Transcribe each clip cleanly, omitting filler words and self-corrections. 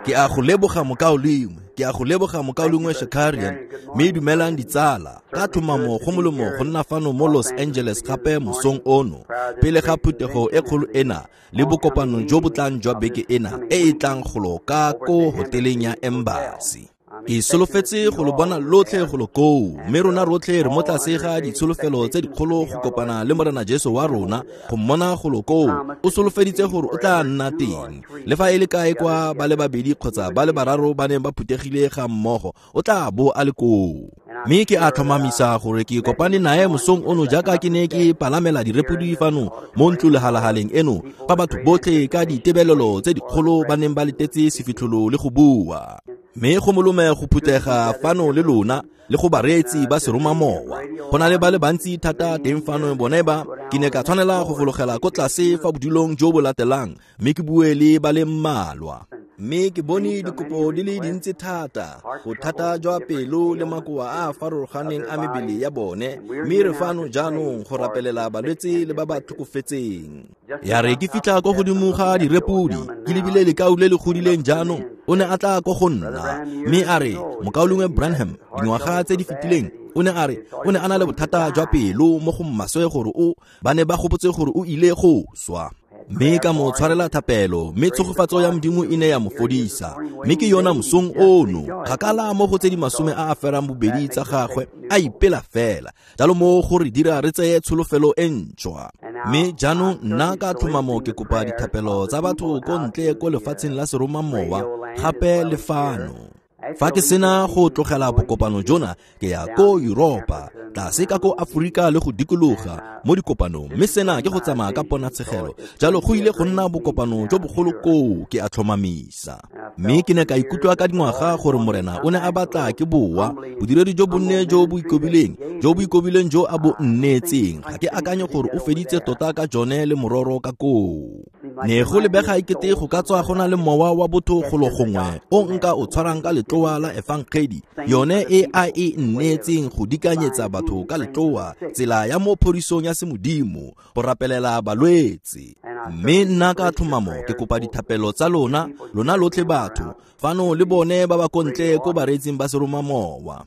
Ke a go leboga mokaulengwe, ke a go leboga mokaulengwe Shakarian, mme dumelang ditsala. Ka tlhomamo go molemo go nna fano mo Los Angeles gape mosong ono, pele ga phuthego e kgolo ena le bokopano jo bo tlang jwa beke ena e e tlang golo ka ko hoteleng ya Embassy. Ke solofetse go lo bona lotlhe golo koo, mme rona rotlhe re mo tlase ga ditsholofelo tse dikgolo go kopana le Morena Jesu wa rona, go mmona golo koo. O solofeditse gore o tla nna teng. Le fa e le kae kwa ba le babedi kgotsa ba le bararo ba neng ba phuthegile ga mmogo, o tla bo a le koo. Mme ke a tlhomamisa gore ke kopane nae mosong ono jaaka ke ne ke palamela direpodi fano mo ntlolehalahaleng eno, fa batho botlhe ka ditebelelo tse dikgolo ba neng ba letetse sefitlholo le go bua. Mme go molome go phuthega fano le lona le go bareetsi ba seromamowa. Go na le ba le bantsi thata teng fano bone ba, ke ne ka tshwanela go fologela ko tlase fa bodulong jo bo latelang mme ke bue le ba le mmalwa. Mme ke bone dikopo di le dintsi thata, bothata jwa pelo le makoa a a farologaneng a mebele ya bone, mme re fano jaanong go rapelela balwetse le ba ba tlhokofetseng. Ya re ke fitlha ko godimo ga direpodi, ke lebile lekau le le godileng jaanong, o ne a tla ko go nna mme a re, mokaulengwe Branham, dingwaga tse di fetileng, o ne a re o ne a na le bothata jwa pelo mo go mmaswe gore o ba ne ba gopotse gore o ile go swa. Mme ka mo tshwarela thapelo, mme tshegofatso ya Modimo e ne ya mo fodisa. Mme ke yona mosong ono, kgakala mo go tse di 80 a ferang bobedi tsa gagwe, a ipela fela. Jalo mo go re dira re tseye tsholofelo e ntšhwa. Mme jaanong nna ka tlhomamo ke kopa dithapelo tsa batho ko ntle ko lefatsheng la seromamowa, gape le fano. Fa ke sena go tlogela bokopano jona, ke ya ko Yuropa, tlase ka ko Aforika le go dikologa mo dikopanong, mme sena ke go tsamaya ka ponatshegelo. Jalo go ile go nna bokopano jo bogolo koo, ke a tlhomamisa. Mme ke ne ka ikutlwa ka dingwaga gore Morena o ne a batla ke boa, bodiredi jo bonne jo bo ikobileng, jo bo ikobileng jo a bo nnetseng. Ga ke akanye gore o feditse tota ka jone le mororo ka koo. Ne go lebega ekete go ka tswa go na le mowa wa botho golo gongwe o nka o tshwarang ka letloa la efangedi, yone e a e nnetseng go dikanyetsa batho ka letloa, tsela ya mo phodisong ya semodimo, go rapelela balwetse. Mme nna ka tlhomamo ke kopa dithapelo tsa lona, lona lotlhe batho fano le bone ba ba ko ntle ko bareetsing ba seromamowa.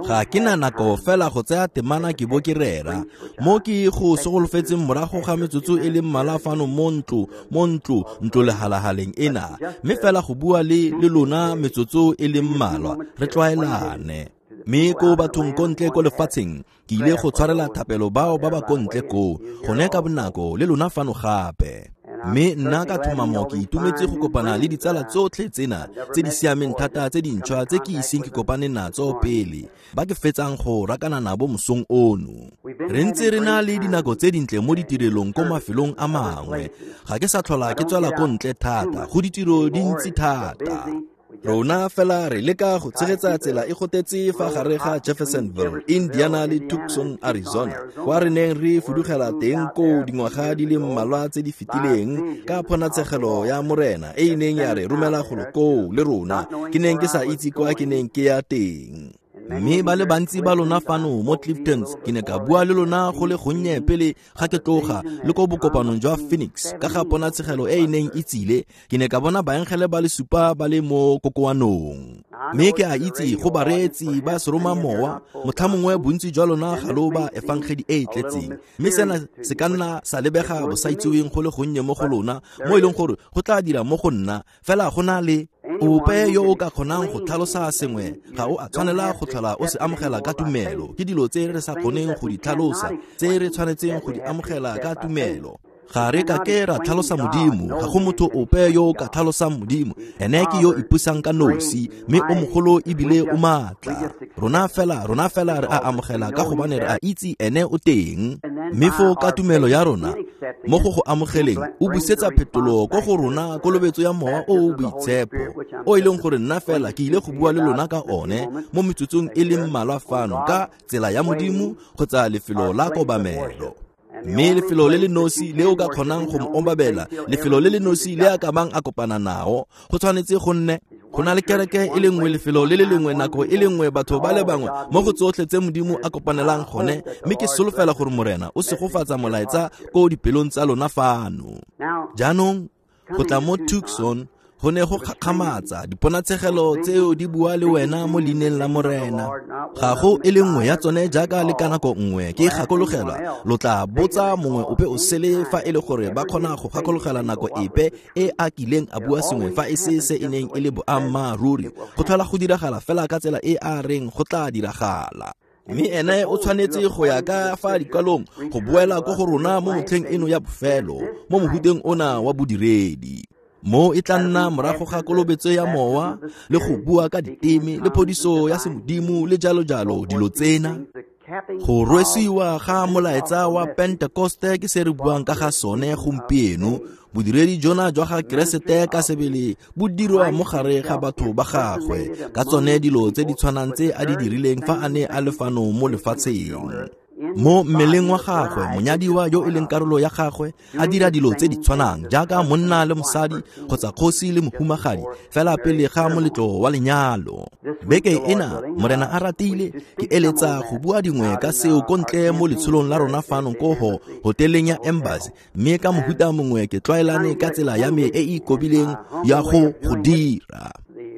Ga ke na nako fela go tsaya temana ke bo ke rera mo ke go segolofetseng morago ga metsotso e le mmalwa fano mo ntlo ntlo lehalahaleng ena, mme fela go bua le lona metsotso e le mmalwa re tlwaelane. Mme ko bathong ko ntle ko lefatsheng, ke ile go tshwarela thapelo bao ba ba ko ntle koo, gone ka bonako le lona fano gape. Mme nna ka tlhomamo ke itumetse go kopana le ditsala tsotlhe tsena tse di siameng thata tse dintšhwa tse ke iseng ke kopane natso pele, ba ke fetsang go rakana nabo mosong ono. Re ntse re na le dinako tse dintle mo ditirelong ko mafelong a mangwe. Ga ke sa tlhola ke tswela ko ntle thata, go ditiro dintsi thata. Rona fela re leka go tshegetsa tsela e gotetse fa gare ga Jeffersonville, Indiana le Tucson, Arizona, kwa re neng re fudugela teng koo dingwaga di le mmalwa tse di fetileng ka ponatshegelo ya Morena e e neng ya re romela golo koo le rona, ke neng ke sa itse kwa ke neng ke ya teng. Mme ba le bantsi ba lona fano mo Cliftons, ke ne ka bua le lona go le gonnye pele ga ke tloga le ko bokopanong jwa Phoenix ka ga ponatshegelo e e neng e tsile. Ke ne ka bona baengele ba le supa ba le mo kokoanong. Mme ke a itse go bareetsi ba seromamowa, motlhamongwe bontsi jwa lona ga lo ba efangedi e e tletseng, mme sena se ka nna sa lebega bosaitseweng go le gonnye mo go lona, mo e leng gore go tla dira mo go nna. Fela go na le ope yo o ka kgonang go tlhalosa sengwe, ga o a tshwanela go tlhola o se amogela ka tumelo. Ke dilo tse re sa kgoneng go di tlhalosa, tse re tshwanetseng go di amogela ka tumelo. Ga re ka ke ra tlhalosa Modimo, ga go motho ope yo o ka tlhalosang Modimo. Ene ke yo ipusang ka nosi, mme o mogolo ebile o maatla. Rona fela re a amogela ka gobane re a itse ene o teng. Mme foo ka tumelo ya rona mo go go amogeleng, o busetsa phetolo ko go rona kolobetso ya mowa o o boitshepo, o e leng gore nna fela ke ile go bua le lona ka one mo metsotsong e le mmalwa fano ka tsela ya Modimo kgotsa lefelo la kobamelo. Mme lefelo le le nosi le o ka kgonang go mo obamela, lefelo le le nosi le a ka bang a kopana nao, go tshwanetse go nne go na le kereke e le nngwe, lefelo le le lengwe, nako e le nngwe, batho ba le bangwe mo go tsotlhe tse Modimo a kopanelang gone. Mme ke solofela gore Morena o segofatsa molaetsa ko dipelong tsa lona fano. Jaanong go tla mo Tucson Go ne go gakgamatsa, diponatshegelo tseo di bua le wena mo leineng la Morena. Ga go e le nngwe ya tsone jaaka le ka nako nngwe ke gakologelwa. Lo tla botsa mongwe ope o sele fa e le gore ba kgona go gakologelwa nako epe e a kileng a bua sengwe fa e se se e neng e le boammaaruri. Go tlhola go diragala fela ka tsela e a reng go tla diragala. Mme ene o tshwanetse go ya ka fa dikwalong go boela ko go rona mo motlheng eno ya bofelo, mo mohuteng ona wa bodiredi. Mo e tla nna morago ga kolobetso ya mowa le go bua ka diteme le phodiso ya semodimo le jalo jalo dilo tsena. Go rwesiwa ga molaetsa wa Pentekoste ke se re buang ka ga sone gompieno. Bodiredi jona jwa ga Keresete ka sebele bo dirwa mo gare ga batho ba gagwe ka tsone dilo tse di tshwanang tse a di dirileng fa a ne a le fano mo lefatsheng. Mo mmeleng wa gagwe, monyadiwa yo e leng karolo ya gagwe a dira dilo tse di tshwanang jaaka monna le mosadi kgotsa kgosi le mohumagadi fela pele ga moletlo wa lenyalo. Beke ena, Morena a ratile, ke eletsa go bua dingwe ka seo ko ntle mo letsholong la rona fano ko hoteleng ya Embassy, mme ka mohuta mongwe ke tlwaelane ka tsela ya me e e ikobileng ya go go dira.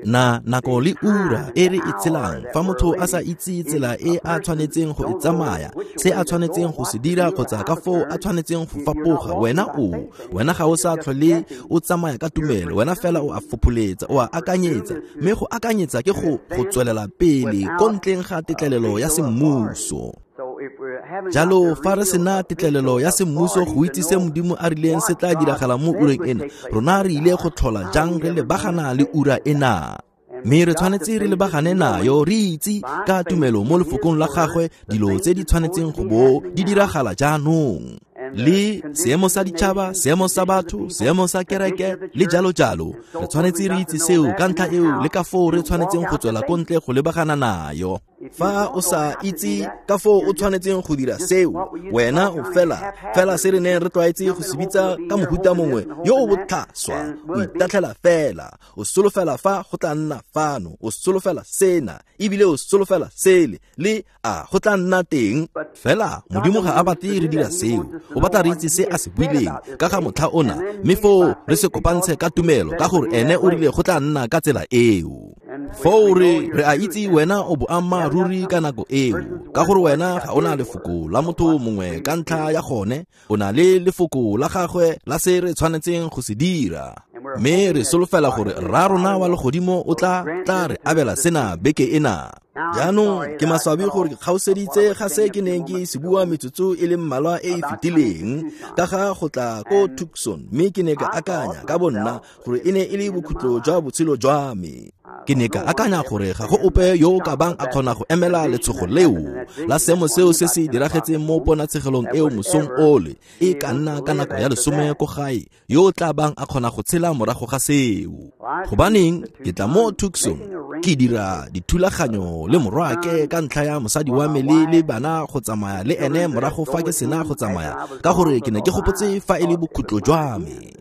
Na nako le ura e re e tshelang, fa motho a sa itse tsela e a tshwanetseng go e tsamaya, se a tshwanetseng go se dira kgotsa ka foo a tshwanetseng go fapoga, wena ga o sa tlhole o tsamaya ka tumelo, wena fela o a fopholetsa, o a akanyetsa, mme go akanyetsa ke go tswelela pele ko ntleng ga tetlelelo ya semmuso. Jalo fa re sena tetlelelo ya semmuso go itse se Modimo a rileng se tla diragala mo ureng ena, rona re ile go tlhola jang re lebagana le ura ena? Mme re tshwanetse re lebagane nayo, re itse ka tumelo mo lefokong la gagwe dilo tse di tshwanetseng go bo di diragala jaanong. Le seemo sa ditšhaba, seemo sa batho, seemo sa kereke le jalo jalo. Re tshwanetse re itse seo ka ntlha eo le ka foo re tshwanetseng go tswela ko ntle go lebagana nayo. Fa o sa itse ka foo o tshwanetseng go dira seo, wena o fela se re neng re tlwaetse go se bitsa ka mohuta mongwe yo o botlhaswa, o itatlhela fela, o solofela fa go tla nna fano, o solofela sena, ebile o solofela sele, le a go tla nna teng. Fela Modimo ga a batle re dira seo, o batla re itse se a se buileng ka ga motlha ona, mme foo re se kopantshe ka tumelo ka gore ene o rile go tla nna ka tsela eo. Foo re a itse wena o boammaaruri ka nako eo, ka gore wena ga o na lefoko la motho mongwe ka ntlha ya gone, o na le lefoko la gagwe la se re tshwanetseng go se dira. Mme re solofela gore rra rona wa legodimo o tla re abela sena beke ena. Jaanong ke maswabi gore ke kgaoseditse ga se ke neng ke se bua metsotso e le mmalwa e e fetileng ka ga go tla ko Tucson, mme ke ne ka akanya ka bonna gore e ne e le bokhutlo jwa botshelo jwa me. Ke ne ka akanya gore ga go ope yo o ka bang a kgona go emela letshogo leo la seemo seo se se diragetseng mo ponatshegelong eo mosong ole, e ka nna ka nako ya 10 ko gae, yo o tla bang a kgona go tshela morago ga seo. Gobaneng ke tla mo Tucson ke dira dithulaganyo le morwake ka ntlha ya mosadi wa me le bana go tsamaya le ene morago fa ke sena go tsamaya, ka gore ke ne ke gopotse fa e le bokhutlo jwa me.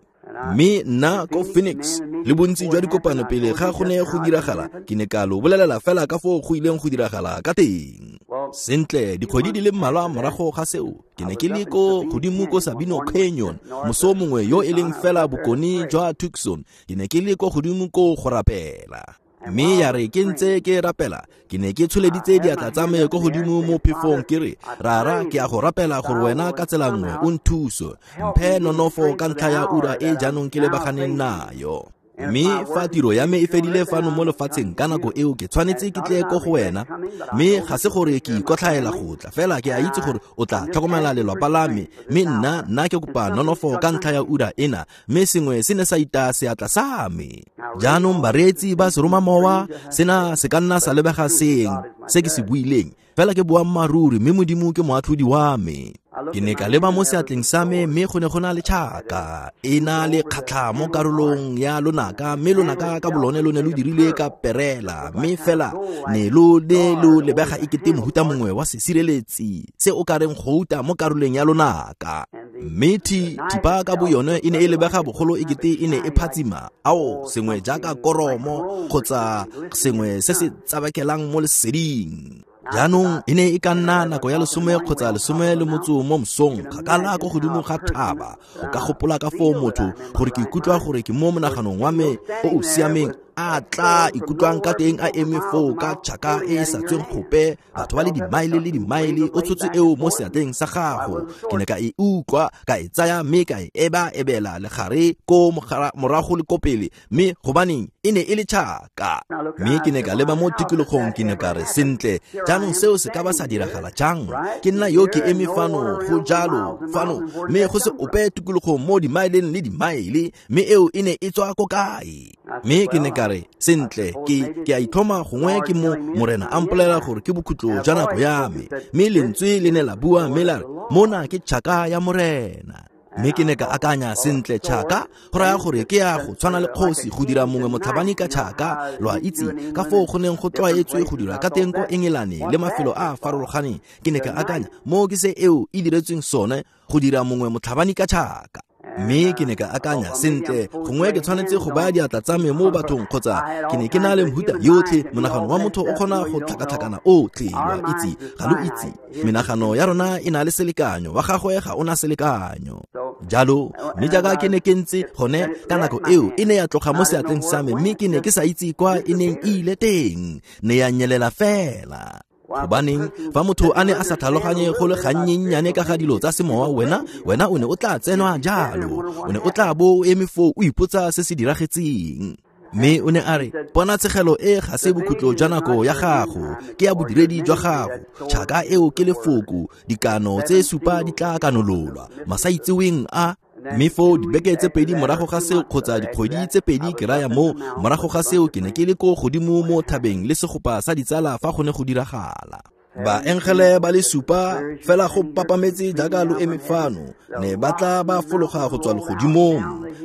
Mme nna ko Phoenix le bontsi jwa dikopano pele ga go ne go diragala, ke ne ka lo bolelela fela ka foo go ileng go diragala ka teng. Sentle, dikgwedi di le mmalwa morago ga seo, ke ne ke le ko godimo ko Sabino Canyon moso mongwe yo e leng fela bokone jwa Tucson. Ke ne ke le ko godimo ko go rapela. Mme ya re ke ntse ke rapela, ke ne ke tsholeditse diatla tsa me ko godimo mo phefong ke re, Rara, ke a go rapela gore wena ka tsela nngwe o nthuse, mphe nonofo ka ntlha ya ura e jaanong ke lebaganeng nayo. Mme fa tiro ya me e fedile fano mo lefatsheng ka nako eo ke tshwanetse ke tle ko go wena, mme ga se gore ke ikotlhaela go tla, fela ke a itse gore o tla tlhokomela lelapa la me, mme nna ke kopa nonofo ka ntlha ya ura ena. Mme sengwe se ne sa ita seatla sa me. Jaanong bareetsi ba seromamowa, sena se ka nna sa lebega seng se ke se buileng, fela ke boammaaruri, mme Modimo ke moatlhodi wa me. Ke ne ka leba mo seatleng sa me, mme go ne go na le tšhaka e na le kgatlha mo karolong ya lonaka, mme lonaka ka bolone lo ne lo dirile ka perela, mme fela ne lo ne lo lebega ekete mohuta mongwe wa sesireletsi se o ka reng gouta mo karolong ya lonaka. Mme thipa ka boyone e ne e lebega bogolo ekete e ne e phatsima, ao sengwe jaaka koromo kgotsa sengwe se se tsabakelang mo leseding. Jaanong e ne e ka nna nako ya 10 kgotsa 13 mo mosong, kgakala ko godimo ga thaba. O ka gopola ka foo motho gore ke ikutlwa gore ke mo monaganong wa me o o siameng a tla ikutlwang ka teng a eme foo ka tšhaka e e sa tsweng gope, batho ba le dimaele le dimaele, o tshotse eo mo seatleng sa gago. Ke ne ka e utlwa, ka e tsaya mme ka e eba-ebela legare ko morago le ko pele, mme gobaneng e ne e le tšhaka. Mme ke ne ka leba mo tikologong, ke ne ka re, sentle, jaanong seo se ka ba sa diragala jang? Ke nna yo ke eme fano, go jalo fano, mme go se ope tikologong mo dimaeleng le dimaele, mme eo e ne e tswa ko kae? Mme ke ne ka re, sentle, ke a itlhoma gongwe ke mo Morena a mpolelela gore ke bokhutlo jwa nako ya me. Mme lentswe le ne la bua mme la re, mona ke tšhaka ya Morena. Mme ke ne ka akanya, sentle, tšhaka go raya gore ke ya go tshwana le kgosi go dira mongwe motlhabani ka tšhaka. Lo a itse ka foo go neng go tlwaetswe go dira ka teng ko Engelane le mafelo a a farologaneng. Ke ne ka akanya, mo ke se eo e diretsweng sone, go dira mongwe motlhabani ka tšhaka. Mme ke ne ka akanya, sentle, gongwe ke tshwanetse go baya diatla tsa me mo bathong, kgotsa ke ne ke na le mehuta yotlhe. Monagano wa motho o kgona go tlhakatlhakana otlhe, lo a itse, ga lo itse. Menagano ya rona e na le selekanyo, wa gagwe ga o na selekanyo. Jalo, mme jaaka ke ne ke ntse gone ka nako eo, e ne ya tloga mo seatleng sa me, mme ke ne ke sa itse kwa e neng e ile teng, ne ya nyelela fela. Gobaneng fa motho a ne a sa tlhaloganye go le gannyennyane ka ga dilo tsa semowa, wena o ne o tla tsenwa jalo, o ne o tla bo o eme foo o ipotsa se se diragetseng. Mme o ne a re, ponatshegelo e ga se bokhutlo jwa nako ya gago, ke ya bodiredi jwa gago. Tšhaka eo ke lefoko, dikano tse 7 di tla kanololwa, masaitseweng a. Mme foo dibeke tse 2 morago ga seo, kgotsa dikgwedi tse 2 ke raya mo, morago ga seo ke ne ke le ko godimo mo thabeng le segopa sa ditsala fa go ne go diragala. Baengele ba le 7 fela go papametse jaaka lo eme fano, ne ba tla ba fologa go tswa legodimong.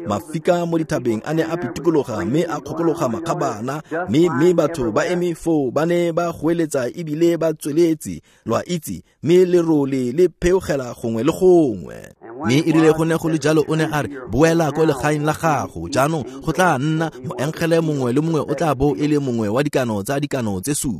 Mafika mo dithabeng a ne a pitikologa mme a kgokologa makgabana, mme batho ba eme foo ba ne ba goeletsa ebile ba tsweletse, lo a itse, mme lerole le pheogela gongwe le gongwe. Mme e rile go ne go le jalo, o ne a re, boela ko legaeng la gago, jaanong go tla nna moengele mongwe le mongwe o tla bo e le mongwe wa dikano tsa dikano tse 7,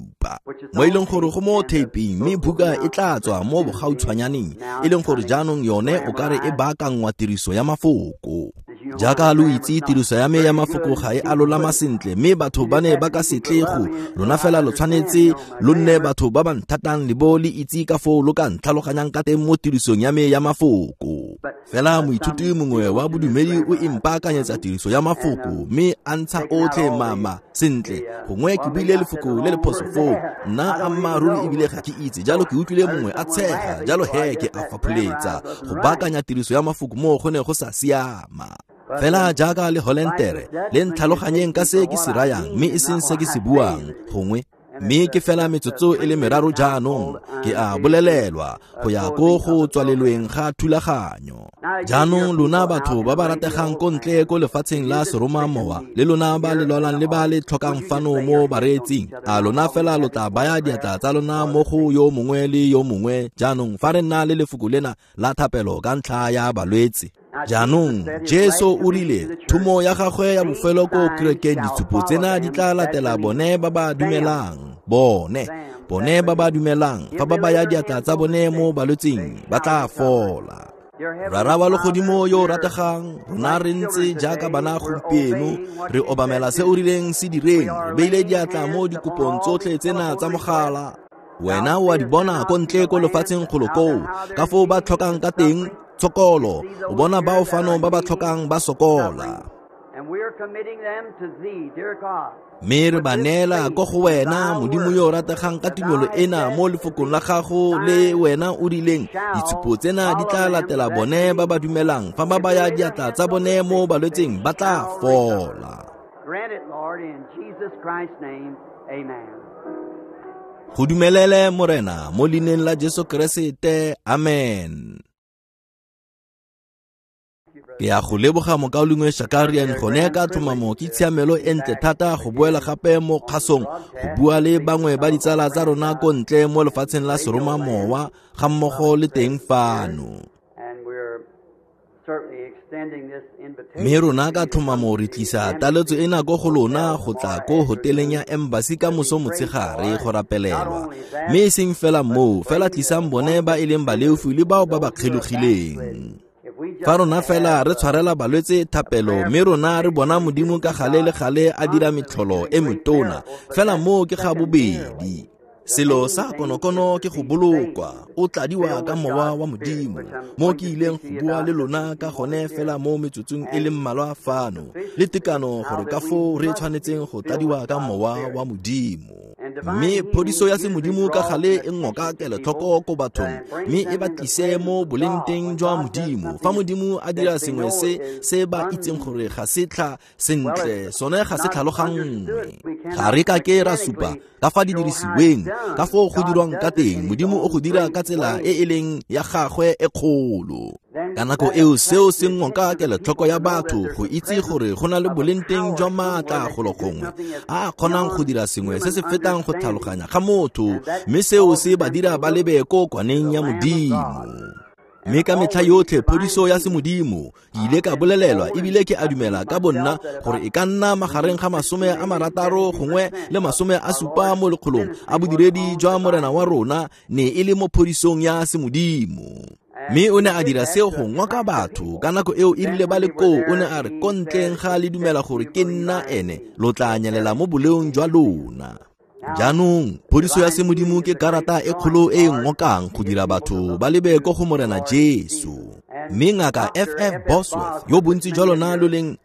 mo e leng gore go mo taping, mme buka e tla tswa mo bogautshwanyaneng, e leng gore jaanong yone o kare e baakangwa tiriso ya mafoko. Jaaka lo itse, tiriso ya me ya mafoko ga e a lolama sentle, mme batho ba ne ba ka se tle go lona, fela lo tshwanetse lo nne batho ba ba nthatang le bo le itse ka foo lo ka ntlhaloganyang ka teng mo tirisong ya me ya mafoko. Fela moithuti mongwe wa bodumedi o impaakanyetsa tiriso ya mafoko, mme a ntsha otlhe mama sentle, gongwe ke buile lefoko le le phoso foo, nna ammaaruri ebile ga ke itse, jalo ke utlwile mongwe a tshega, jalo he ke a fapholetsa go baakanya tiriso ya mafoko mo go ne go sa siama. Fela jaaka le Holentere, le ntlhaloganyeng ka se ke se rayang, mme e seng se ke se buang, gongwe. Mme ke fela metsotso e le 3 jaanong, ke a bolelelwa go ya ko go tswalelweng ga thulaganyo. Jaanong lona batho ba ba rategang ko ntle ko lefatsheng la seromamowa, le lona ba le lwalang le ba le tlhokang fano mo bareetsing, a lona fela lo tla baya diatla tsa lona mo go yo mongwe le yo mongwe jaanong fa re nna le lefoko lena la thapelo ka ntlha ya balwetse. Jaanong Jesu o rile thomo ya gagwe ya bofelo ko kerekeng, ditshupo tsena di tla latela bone ba ba dumelang, bone ba ba dumelang, fa ba baya diatla tsa bone mo balwetseng ba tla fola. Rara wa legodimo yo o rategang, rona re ntse jaaka bana gompieno, re obamela se o rileng se direng, re beile diatla mo dikopong tsotlhe tsena tsa mogala. Wena o a di bona ko ntle ko lefatsheng golo koo, ka foo ba tlhokang ka teng tshokolo, o bona bao fano ba ba tlhokang ba sokola. Mme re ba neela ko go wena, Modimo yo o rategang, ka tumelo ena mo lefokong la gago le wena o rileng, ditshupo tsena di tla latela bone ba ba dumelang, fa ba baya diatla tsa bone mo balwetseng ba tla fola. Go dumelele Morena mo leineng la Jesu Keresete, amen. Ke a go leboga mokaulengwe Shakarian, gone ka tlhomamo ke tshiamelo e ntle thata go boela gape mo kgasong go bua le bangwe ba ditsala tsa rona ko ntle mo lefatsheng la seromamowa ga mmogo le teng fano. Mme rona ka tlhomamo re tlisa taletso ena ko go lona go tla ko hoteleng ya Embassy ka moso motshegare go rapelelwa. Mme e seng fela moo, fela tlisang bone ba e leng baleofi le bao ba ba kgelogileng. Fa rona fela re tshwarela balwetse thapelo, mme rona re bona Modimo ka gale le gale a dira metlholo e metona, fela moo ke ga bobedi. Selo sa konokono ke go bolokwa, o tladiwa ka mowa wa Modimo, mo ke ileng go bua le lona ka gone fela mo metsotsong e le mmalwa fano, le tekano gore ka foo re tshwanetseng go tladiwa ka mowa wa Modimo. Mme phodiso ya semodimo ka gale e ngoka kelotlhoko ko bathong, mme e ba tlise mo bolengteng jwa Modimo. Fa Modimo a dira sengwe se se ba itseng gore ga se tlha sentle, sone ga se tlhaloganngwe. Ga re ka ke ra supa ka fa di dirisiweng, ka foo go dirwang ka teng. Modimo o go dira ka tsela e e leng ya gagwe e kgolo. Ka nako eo seo se ngoka kelotlhoko ya batho go itse gore go na le bolengteng jwa maatla golo gongwe a a kgonang go dira sengwe se se fetang go tlhaloganya ga motho, mme seo se ba dira ba lebe ko kwaneng ya Modimo. Mme ka metlha yotlhe phodiso ya semodimo ke ile ka bolelelwa ebile ke a dumela ka bonna gore e ka nna magareng ga 60 gongwe le 70 mo lekgolong a bodiredi jwa Morena wa rona ne e le mo phodisong ya semodimo. Mme o ne a dira seo go ngoka batho. Ka nako eo e rile ba le koo, o ne a re, ko ntleng ga le dumela gore ke nna ene, lo tla nyelela mo boleong jwa lona. Jaanong phodiso ya semodimo ke karata e kgolo e e ngokang go dira batho ba lebe ko go Morena Jesu. Mme ngaka F.F. Bosworth, yo bontsi jwa lona lo neng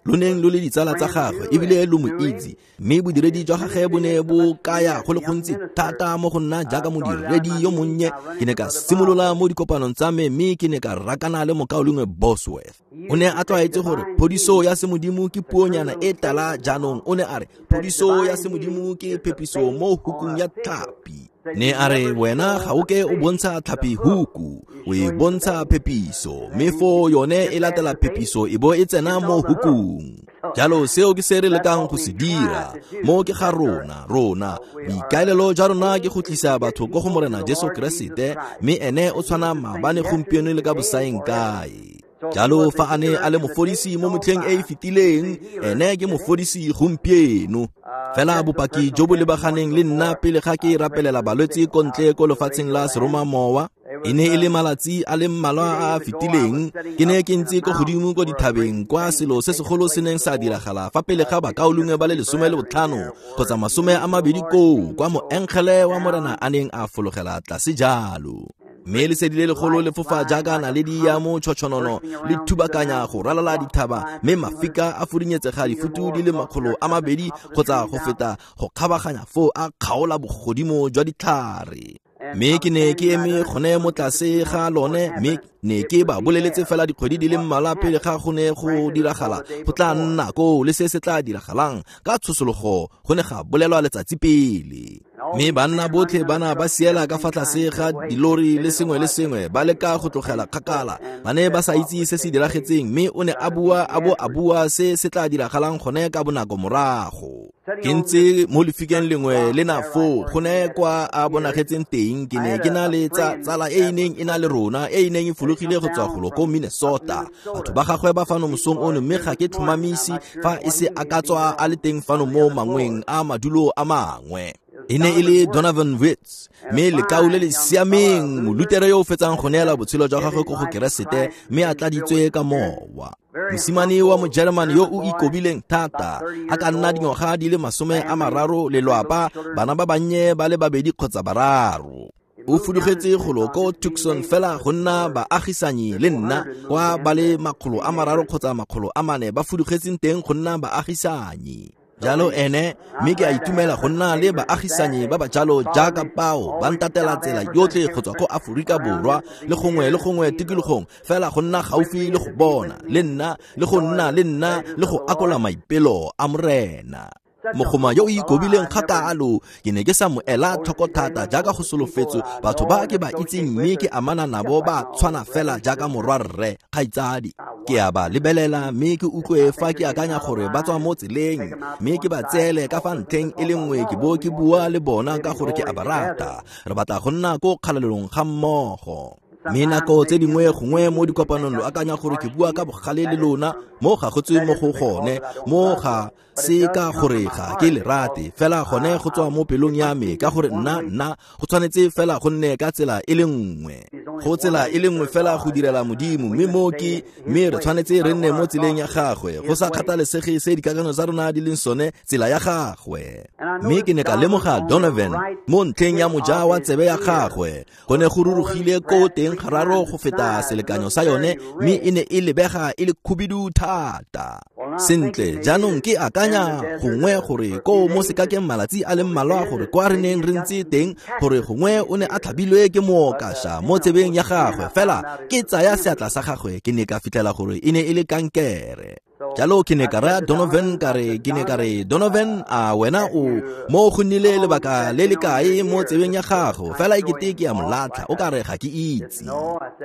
lo le ditsala tsa gagwe ebile lo mo itse, mme bodiredi jwa gagwe bo ne bo kaya go le gontsi thata mo go nna jaaka modiredi yo monnye. Ke ne ka simolola mo dikopanong tsa me, mme ke ne ka rakana le mokaulengwe Bosworth. O ne a tlwaetse gore phodiso ya semodimo ke puonyana e tala. Jaanong o ne a re phodiso ya semodimo ke phepiso mo hukung ya tlhapi. Ne a re wena ga o ke o bontsha tlhapi huku, o e bontsha phepiso, mme foo yone e latela phepiso e bo e tsena mo hukung. Jalo seo ke se re lekang go se dira mo ke ga rona. Boikaelelo jwa rona ke go tlisa batho ko go Morena Jesu Keresete, mme ene o tshwana maabane, gompieno le ka bosaeng kae. Jalo fa a ne a le mofodisi mo motlheng e e fetileng, ene ke mofodisi gompieno. Fela bopaki jo bo lebaganeng le nna pele ga ke rapelela balwetse ko ntle ko lefatsheng la seromamowa, e ne e le malatsi a le mmalwa a a fetileng. Ke ne ke ntse ko godimo ko dithabeng kwa selo se segolo se neng sa diragala fa pele ga bakaulengwe ba le 15 kgotsa 20 koo, kwa moengele wa Morena a neng a fologela tlase jalo. Mme lesedi le legolo le fofa jaaka naledi ya mo tšhotšhonono le thubakanya go ralala dithaba, mme mafika a fudunyetsega difutu di le 200 kgotsa go feta go kgabaganya foo a kgaola bogodimo jwa ditlhare. Mme ke ne ke eme gone mo tlase ga lone, mme ne ke ba boleletse fela dikgwedi di le mmalwa pele ga go ne go diragala go tla nna koo le se se tla diragalang. Ka tshosologo go ne ga bolelwa letsatsi pele. Mme banna botlhe ba na ba siela ka fa tlase ga dilori le sengwe le sengwe, ba leka go tlogela kgakala. Ba ne ba sa itse se se diragetseng, mme o ne a bua a bo a bua se se tla diragalang gone ka bonako morago. Ke ntse mo lefikeng lengwe le na foo, go ne kwa a bonagetseng teng. Ke ne ke na le tsala e e neng e na le rona, e e neng e fologile go tswa golo ko Minnesota. Batho ba gagwe ba fano mosong ono, mme ga ke tlhomamise fa e se a ka tswa a le teng fano mo mangweng a madulo a mangwe. E ne e le Donovan Witz, mme lekau le le siameng, molutere yo o fetsang go neela botshelo jwa gagwe ko go Keresete, mme a tladitswe ka mowa. Mosimane wa Mojeremane yo o ikobileng thata, a ka nna dingwaga di le 30, lelwapa, bana ba bannye ba le 2 kgotsa 3. O fudugetse golo ko Tucson fela go nna baagisanyi le nna, kwa ba le 300 kgotsa 400 ba fudugetseng teng go nna baagisanyi. Jalo ene, mme ke a itumela go nna le baagisanyi ba ba jalo jaaka bao ba ntatela tsela yotlhe go tswa ko Aforika Borwa le gongwe le gongwe tikologong, fela go nna gaufi le go bona le nna le go nna le nna le go akola maipelo a Morena. Mogoma yo o ikobileng kgakalo, ke ne ke sa mo ela tlhoko thata jaaka go solofetswe. Batho ba ke ba itseng mme ke amana nabo ba tshwana fela jaaka morwarre, kgaitsadi. Ke a ba lebelela mme ke utlwe fa ke akanya gore ba tswa mo tseleng, mme ke ba tseele ka fa ntlheng e le nngwe ke bo ke bua le bona ka gore ke a ba rata. Re batla go nna ko kgalalelong ga mmogo. Mme nako tse dingwe gongwe mo dikopanong lo akanya gore ke bua ka bogale le lona, mo ga go tswe mo go gone, mo ga se ka gore ga ke le rate, fela gone go tswa mo pelong ya me, ka gore nna go tshwanetse fela go nne ka tsela e le nngwe. Go tsela e le nngwe fela go direla Modimo, mme mo ke mme re tshwanetse re nne mo tseleng ya gagwe, go sa kgathalesege se dikakanyo tsa rona di leng sone, tsela ya gagwe. Mme ke ne ka lemoga Donovan mo ntlheng ya moja wa tsebe ya gagwe, go ne go rurugile ko teng gararo go feta selekanyo sa yone, mme e ne e lebega e le khubidu thata. Sentle, jaanong ke akanya gongwe gore ko mo sekakeng malatsi a le mmalwa gore kwa re neng re ntse teng, gore gongwe o ne a tlhabilwe ke mookasha mo tsebeng ya gagwe, fela ke tsaya seatla sa gagwe ke ne ka fitlhela gore e ne e le kankere. Jalo ke ne ka raya Donovan ka re, ke ne ka re, Donovan, a wena o mo go nnile lebaka le le kae mo tsebeng ya gago? Fela e kete ke a mo latlha, o ka re ga ke itse.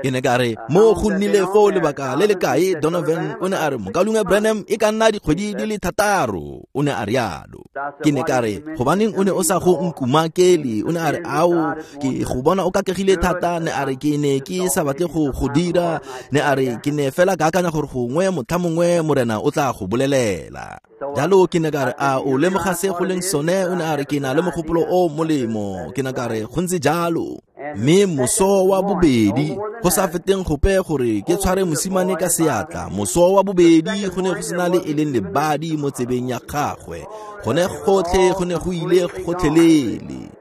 Ke ne ka re, mo go nnile foo lebaka le le kae, Donovan? O ne a re, mokaulengwe Branham, e ka nna dikgwedi di le 6, o ne a rialo. Ke ne ka re, gobaneng o ne o sa go nkumakele? O ne a re, ao, ke go bona o kakegile thata. Ne a re, ke ne ke sa batle go go dira. Ne a re, ke ne fela ka akanya gore gongwe motlha mongwe Morena o tla go bolelela. Jalo ke ne ka re, a o lemoga se go leng sone? O ne a re, ke na le mogopolo o molemo. Ke ne ka re, go ntse jalo. Mme moso wa bobedi, go sa feteng gope gore ke tshware mosimane ka seatla, moso wa bobedi go ne go sena le e leng lebadi mo tsebeng ya gagwe, gone gotlhe go ne go ile gotlhelele.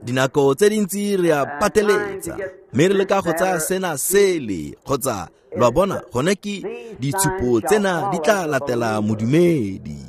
Dinako tse dintsi re a pateletsa, mme re leka go tsaya sena sele, kgotsa lo a bona, gone ke ditshupo tsena di tla latela modumedi.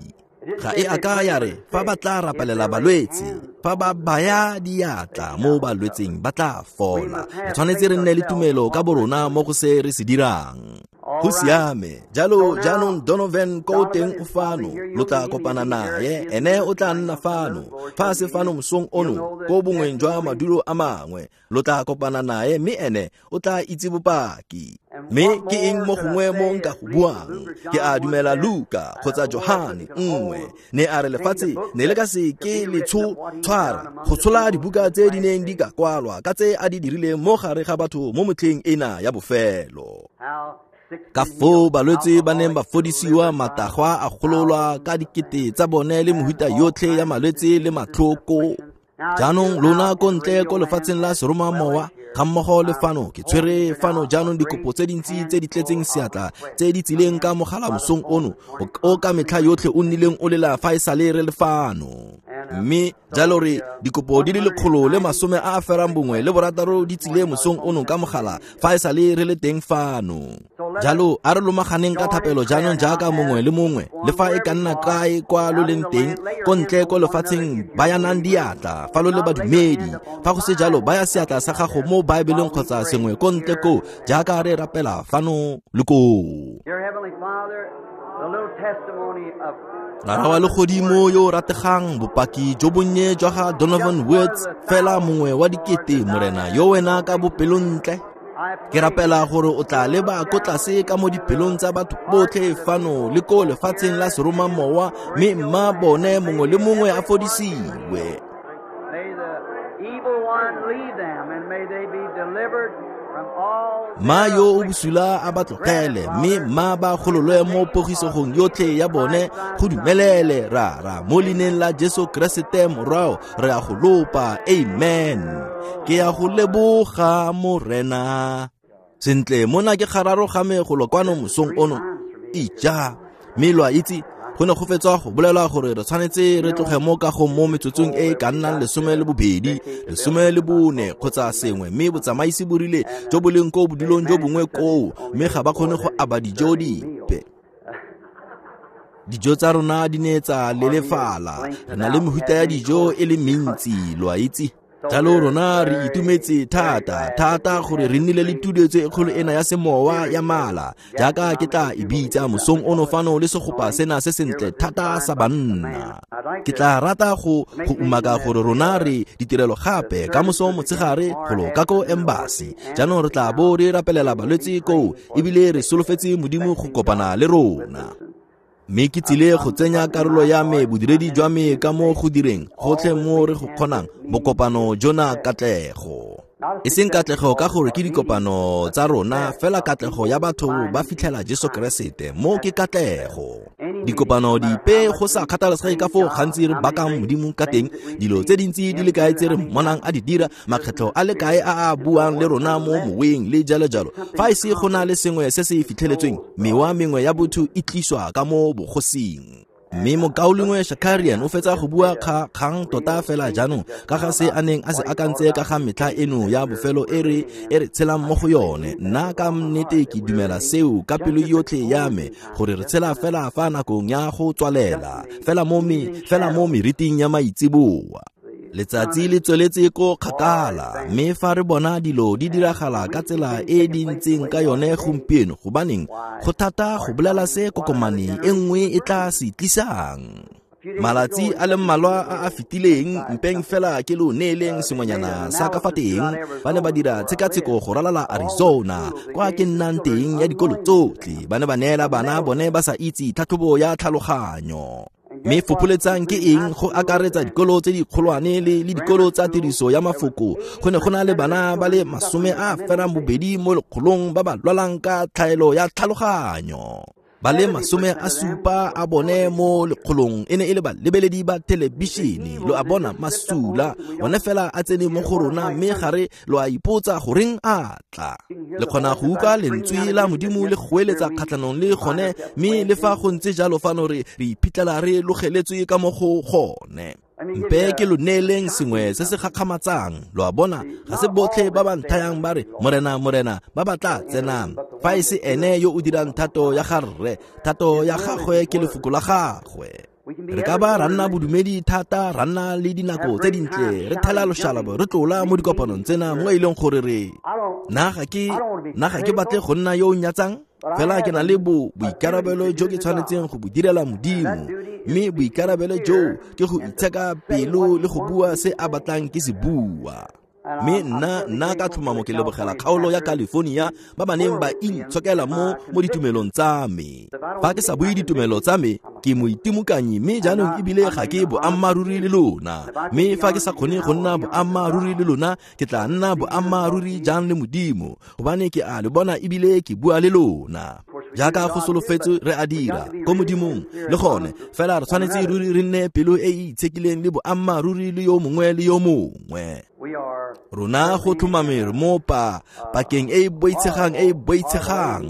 Ga e a ka ya re fa ba tla rapelela balwetse, fa ba baya diatla mo balwetseng ba tla fola. Re tshwanetse re nne le tumelo ka borona mo go se re se dirang. Go siame. Jalo jaanong Donovan ko teng o fano, lo tla kopana naye, ene o tla nna fano. Fa a se fano mosong ono, ko bongweng jwa madulo a mangwe, lo tla kopana naye, mme ene o tla itse bopaki. Mme ke eng mo gongwe mo nka go buang? Ke a dumela Luka kgotsa Johane nngwe ne a re lefatshe ne le ka se ke le tshwara go tshola dibuka tse di neng di ka kwalwa ka tse a di dirileng mo gare ga batho mo motlheng ena ya bofelo. Ka foo balwetse ba neng ba fodisiwa, matagwa a gololwa ka dikete tsa bone le mehuta yotlhe ya malwetse le matlhoko. Jaanong lona ko ntle ko lefatsheng la seromamowa ga mmogo le fano, ke tshwere fano jaanong dikopo tse dintsi tse di tletseng seatla tse di tsileng ka mogala mosong ono o ka metlha yotlhe o nnileng o lela fa e sale re le fano. Mme jalo re dikopo di le 196 di tsile mosong ono ka mogala fa e sale re le teng fano. Jalo a re lomaganeng ka thapelo jaanong jaaka mongwe le mongwe, le fa e ka nna kae kwa lo leng teng, ko ntle ko lefatsheng, bayanang diatla fa lo le badumedi. Fa go se jalo, baya seatla sa gago mo Baebeleng kgotsa sengwe ko ntle ko, jaaka re rapela fano le koo. Rara wa legodimo yo o rategang, bopaki jo bonnye jwa ga Donovan Woods, fela mongwe wa dikete, Morena yo wena ka bopelontle. Ke rapela gore o tla leba ko tlase ka mo dipelong tsa batho botlhe fano le ko lefatsheng la seromamowa, mme mma bone mongwe le mongwe a fodisiwe. Ma yo o bosula a ba tlogele, mme mma ba gololwe mo pogisegong yotlhe ya bone. Go dumelele, Rara, mo leineng la Jesu Keresete Morwao, re a go lopa. Amen. Ke a go leboga, Morena. Sentle, mona ke gararo ga me golo kwano mosong ono. Ija, mme lo a itse, go ne go fetswa go bolelwa gore re tshwanetse re tloge mo kagong mo metsotsong e e ka nnang 12, 14 kgotsa sengwe, mme botsamaisi bo rile jo bo leng ko bodulong jo bongwe koo, mme ga ba kgone go aba dijo dipe. Dijo tsa rona di ne tsa lelefala, re na le mehuta ya dijo e le mentsi, lo a itse. Jalo rona re itumetse thata thata gore re nnile le tuduetso e kgolo ena ya semowa ya mala, jaaka ke tla e bitsa mosong ono fano le segopa sena se sentle thata sa banna. Ke tla rata go umaka gore rona re ditirelo gape ka moso motshegare golo ka ko embassy. Jaanong re tla bo re rapelela balwetse koo, ebile re solofetse Modimo go kopana le rona. Mme ke tsile go tsenya karolo ya me bodiredi jwa me ka mo go direng gotlhe mo re go kgonang bokopano jona katlego. E seng katlego ka gore ke dikopano tsa rona, fela katlego ya batho ba fitlhela Jesu Keresete, mo ke katlego. Dikopano dipe go sa kgathalesege ka foo gantsi re bakang Modimo ka teng, dilo tse dintsi di le kae tse re mmonang a di dira, makgetlho a le kae a a buang le rona mo moweng le jalo jalo. Fa e se go na le sengwe se se fitlheletsweng, mewa mengwe ya botho e tliswa ka mo bogosing. Mme mokaulengwe Shakarian o fetsa go bua kgang tota fela jaanong ka ga se a neng a se akantse ka ga metlha eno ya bofelo e re tshelang mo go yone. Nna ka nnete ke dumela seo ka pelo yotlhe ya me, gore re tshela fela fa nakong ya go tswalela, fela mo meriting ya maitseboa. Letsatsi le tsweletse ko kgakala, mme fa re bona dilo di diragala ka tsela e di ntseng ka yone gompieno, gobaneng go thata go bolela se kokomane e nngwe e tla se tlisang. Malatsi a le mmalwa a a fetileng, mpeng fela ke lo neeleng sengwenyana sa ka fa teng, ba ne ba dira tshekatsheko go ralala Arizona, kwa ke nnang teng ya dikolo tsotlhe. Ba ne ba neela bana bone ba sa itse tlhatlhobo ya tlhaloganyo. Mme fopholetsang ke eng go akaretsa dikolo tse dikgolwane le dikolo tsa tiriso ya mafoko. Go ne go na le bana ba le 82 mo lekgolong ba ba lwalang ka tlhaelo ya tlhaloganyo. Ba le 70 a bone mo lekgolong e ne e le balebeledi ba thelebišene. Lo a bona masula one fela a tsene mo go rona, mme gare lo a ipotsa goreng a tla. Le kgona go utlwa lentswe la Modimo le goeletsa kgatlhanong le gone, mme le fa go ntse jalo fano re iphitlhela re logeletswe ka mo go gone. Mpe ke lo neeleng sengwe se se gakgamatsang. Lo a bona, ga se botlhe ba ba nthayang ba re Morena, Morena, ba ba tla tsenang. Fa e se ene yo o dirang thato ya ga Rre, thato ya gagwe ke lefoko la gagwe. Re ka ba ra nna bodumedi thata, ra nna le dinako tse dintle, re thela loshalabo, re tlola mo dikopanong tsena mo e leng gore re nna ga ke batle go nna yo o nyatsang, fela ke na le boikarabelo jo ke tshwanetseng go bo direla Modimo, mme boikarabelo jo ke go itsheka pelo le go bua se a batlang ke se bua. Mme nna ka tlhomamo ke lebogela kgaolo ya California ba ba neng ba intshokela mo ditumelong tsa me. Fa ke sa bue ditumelo tsa me, ke moitimokanyi, mme jaanong ebile ga ke boammaaruri le lona. Mme fa ke sa kgone go nna boammaaruri le lona, ke tla nna boammaaruri jang le Modimo, gobane ke a le bona ebile ke bua le lona. Jaaka go solofetswe re a dira ko Modimong le gone, fela re tshwanetse ruri re nne pelo e e itshekileng le boammaaruri le yo mongwe le yo mongwe. Rona go tlhomame re mo pakeng e e boitshegang e e boitshegang.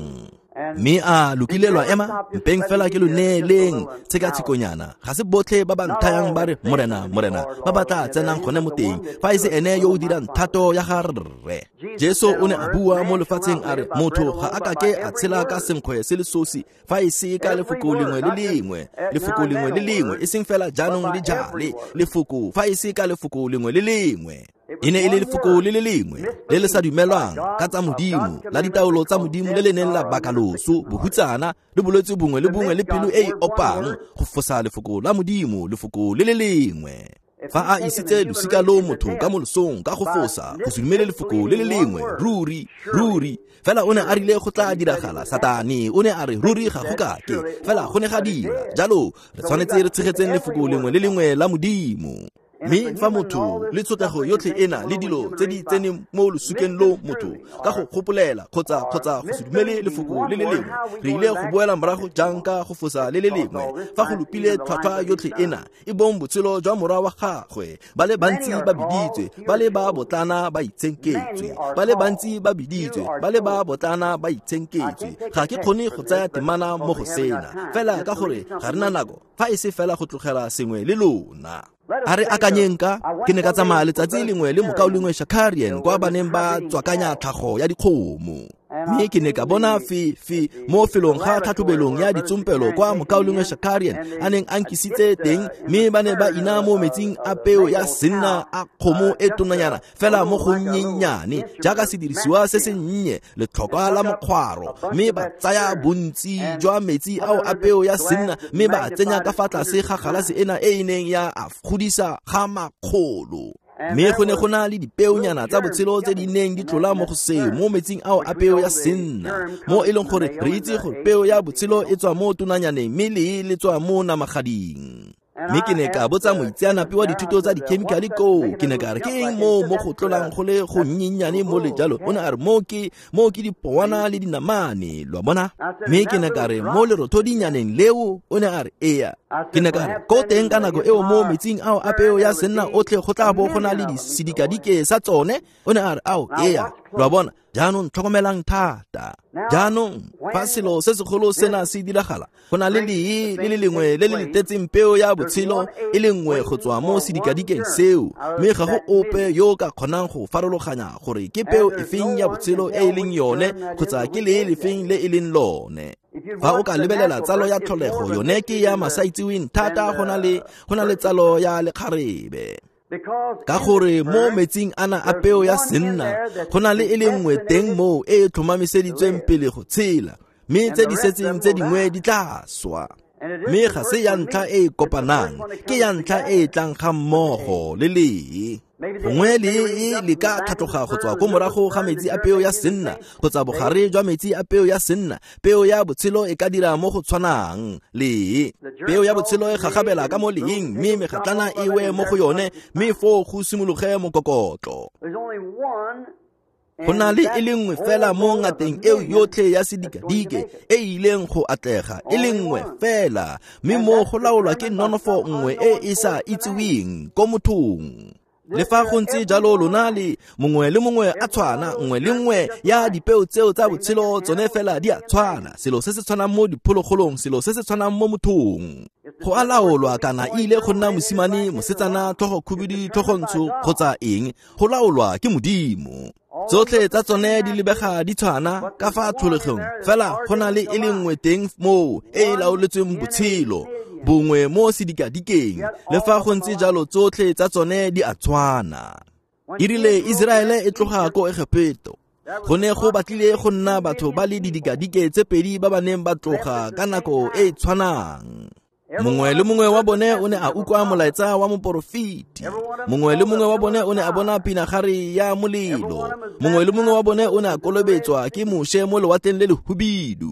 Mme a lokile lwa ema, mpeng fela ke lo neeleng tshekatshekonyana. Ga se botlhe ba ba nthayang ba re Morena, Morena, ba ba tla tsenang gone mo teng, fa e se ene yo o dirang thato ya ga Rre. Jesu o ne a bua mo lefatsheng a re, motho ga a kake a tshela ka senkgwe se le sosi, fa e se ka lefoko lengwe le lengwe, lefoko lengwe le lengwe, e seng fela jaanong le jale, lefoko fa e se ka lefoko lengwe le lengwe. E ne e le lefoko le le lengwe le le sa dumelwang ka tsa Modimo, la ditaolo tsa Modimo le le neng la baka loso, bohutsana le bolwetse bongwe le bongwe le pelo e e opang, go fosa lefoko la Modimo, lefoko le le lengwe. Fa a isitse losika lo motho ka mo losong ka go fosa, go se dumele lefoko le le lengwe, ruri, ruri. Fela o ne a rile go tla diragala, Satane o ne a re ruri ga go kake, fela go ne ga dira. Jalo re tshwanetse re tshegetseng lefoko lengwe le lengwe la Modimo. Mme fa motho le tshotlego yotlhe ena le dilo tse di tseneng mo losukeng lo motho ka go gopolela kgotsa go se dumele lefoko le le lengwe, re ile go boela morago jang ka go fosa le le lengwe fa go lopile tlhwatlhwa yotlhe ena e bong botshelo jwa morwa wa gagwe. Ba le bantsi ba biditswe, ba le ba botlana ba itshenketswe, ba le bantsi ba biditswe, ba le ba botlana ba itshenketswe. Ga ke kgone go tsaya temana mo go sena, fela ka gore ga re na nako, fa e se fela go tlogela sengwe le lona. A re akanyeng ka, ke ne ka tsamaya letsatsi lengwe le mokaulengwe Shakarian kwa ba neng ba tswakanya tlhago ya dikgomo. Mme ke ne ka bona fe mo felong ga tlhatlhobelong ya ditsompelo kwa mokaulengwe Shakarian a neng a nkisitse teng, mme ba ne ba ina mo metsing a peo ya senna a kgomo e tonanyana fela mo go nnyennyane jaaka sedirisiwa se se nnye letlhokwa la mokgwaro, mme ba tsaya bontsi jwa metsi ao a peo ya senna mme ba tsenya ka fa tlase ga galase ena e e neng ya a godisa ga makgolo. Mme go ne go na le dipeonyana tsa botshelo tse di neng di tlola mo go seo mo metsing ao a peo ya senna, mo e leng gore re itse gore peo ya botshelo e tswa mo tonanyaneng mme lee le tswa mo namagading. Mme ke ne ka botsa moitseanape wa dithuto tsa dikhemikhale koo, ke ne ka re ke eng moo mo go tlolang go le go nnyennyane mo le jalo? O ne a re mo ke dipowana le dinamane, lo a bona? Mme ke ne ka re mo lerothodinyaneng leo, o ne a re ea. Ke ne ka re ko teng ka nako eo mo metsing ao a peo ya senna otlhe go tla bo go na le disidikadike sa tsone? O ne a re ao ea, lo a bona? Jaanong tlhokomelang thata. Jaanong fa selo se segolo sena se diragala, go na le lee le le lengwe le le letetseng peo ya botshelo e le nngwe go tswa mo sedikadikeng seo, mme ga go ope yo o ka kgonang go farologanya gore ke peo efeng ya botshelo e e leng yone kgotsa ke lee lefeng le e leng lone. Fa o ka lebelela tsalo ya tlholego, yone ke ya masaitseweng thata go na le tsalo ya lekgarebe. Ka gore mo metsing ana a peo ya senna go na le e le nngwe teng moo e e tlhomamiseditsweng pele go tshela, mme tse di setseng tse dingwe di tla swa. Mme ga se ya ntlha e e kopanang, ke ya ntlha e e tlang ga mmogo le lee. Gongwe lee le ka tlhatloga go tswa ko morago ga metsi a peo ya senna kgotsa bogare jwa metsi a peo ya senna. Peo ya botshelo e ka dira mo go tshwanang lee. Peo ya botshelo e gagabela ka mo leeng, mme megatlana e we mo go yone, mme foo go simologe mokokotlo. Go na le e le nngwe fela mo ngateng eo yotlhe ya sedikadike e ileng go atlega, e le nngwe fela, mme mo go laolwa ke nonofo nngwe e e sa itseweng ko mothong. Le fa go ntse jalo, lona le mongwe le mongwe a tshwana, nngwe le nngwe ya dipeo tseo tsa botshelo tsone fela di a tshwana. Selo se se tshwanang mo diphologolong, selo se se tshwanang mo mothong. Go a laolwa kana e ile go nna mosimane, mosetsana, tlhogo khubidu, tlhogo ntsho kgotsa eng, go laolwa ke Modimo. Tsotlhe tsa tsone di lebega di tshwana ka fa tlholegong, fela go na le e le nngwe teng moo e e laoletsweng botshelo bongwe mo sedikadikeng. Le fa go ntse jalo, tsotlhe tsa tsone di a tshwana. E rile Iseraele e tloga ko Egepeto, go ne go batlile go nna batho ba le didikadike tse pedi ba ba neng ba tloga ka nako e e tshwanang. Mongwe le mongwe wa bone o ne a utlwa molaetsa wa moporofeti. Mongwe le mongwe wa bone o ne a bona pinagare ya molelo. Mongwe le mongwe wa bone o ne a kolobetswa ke Moshe mo lewatleng le lehubidu.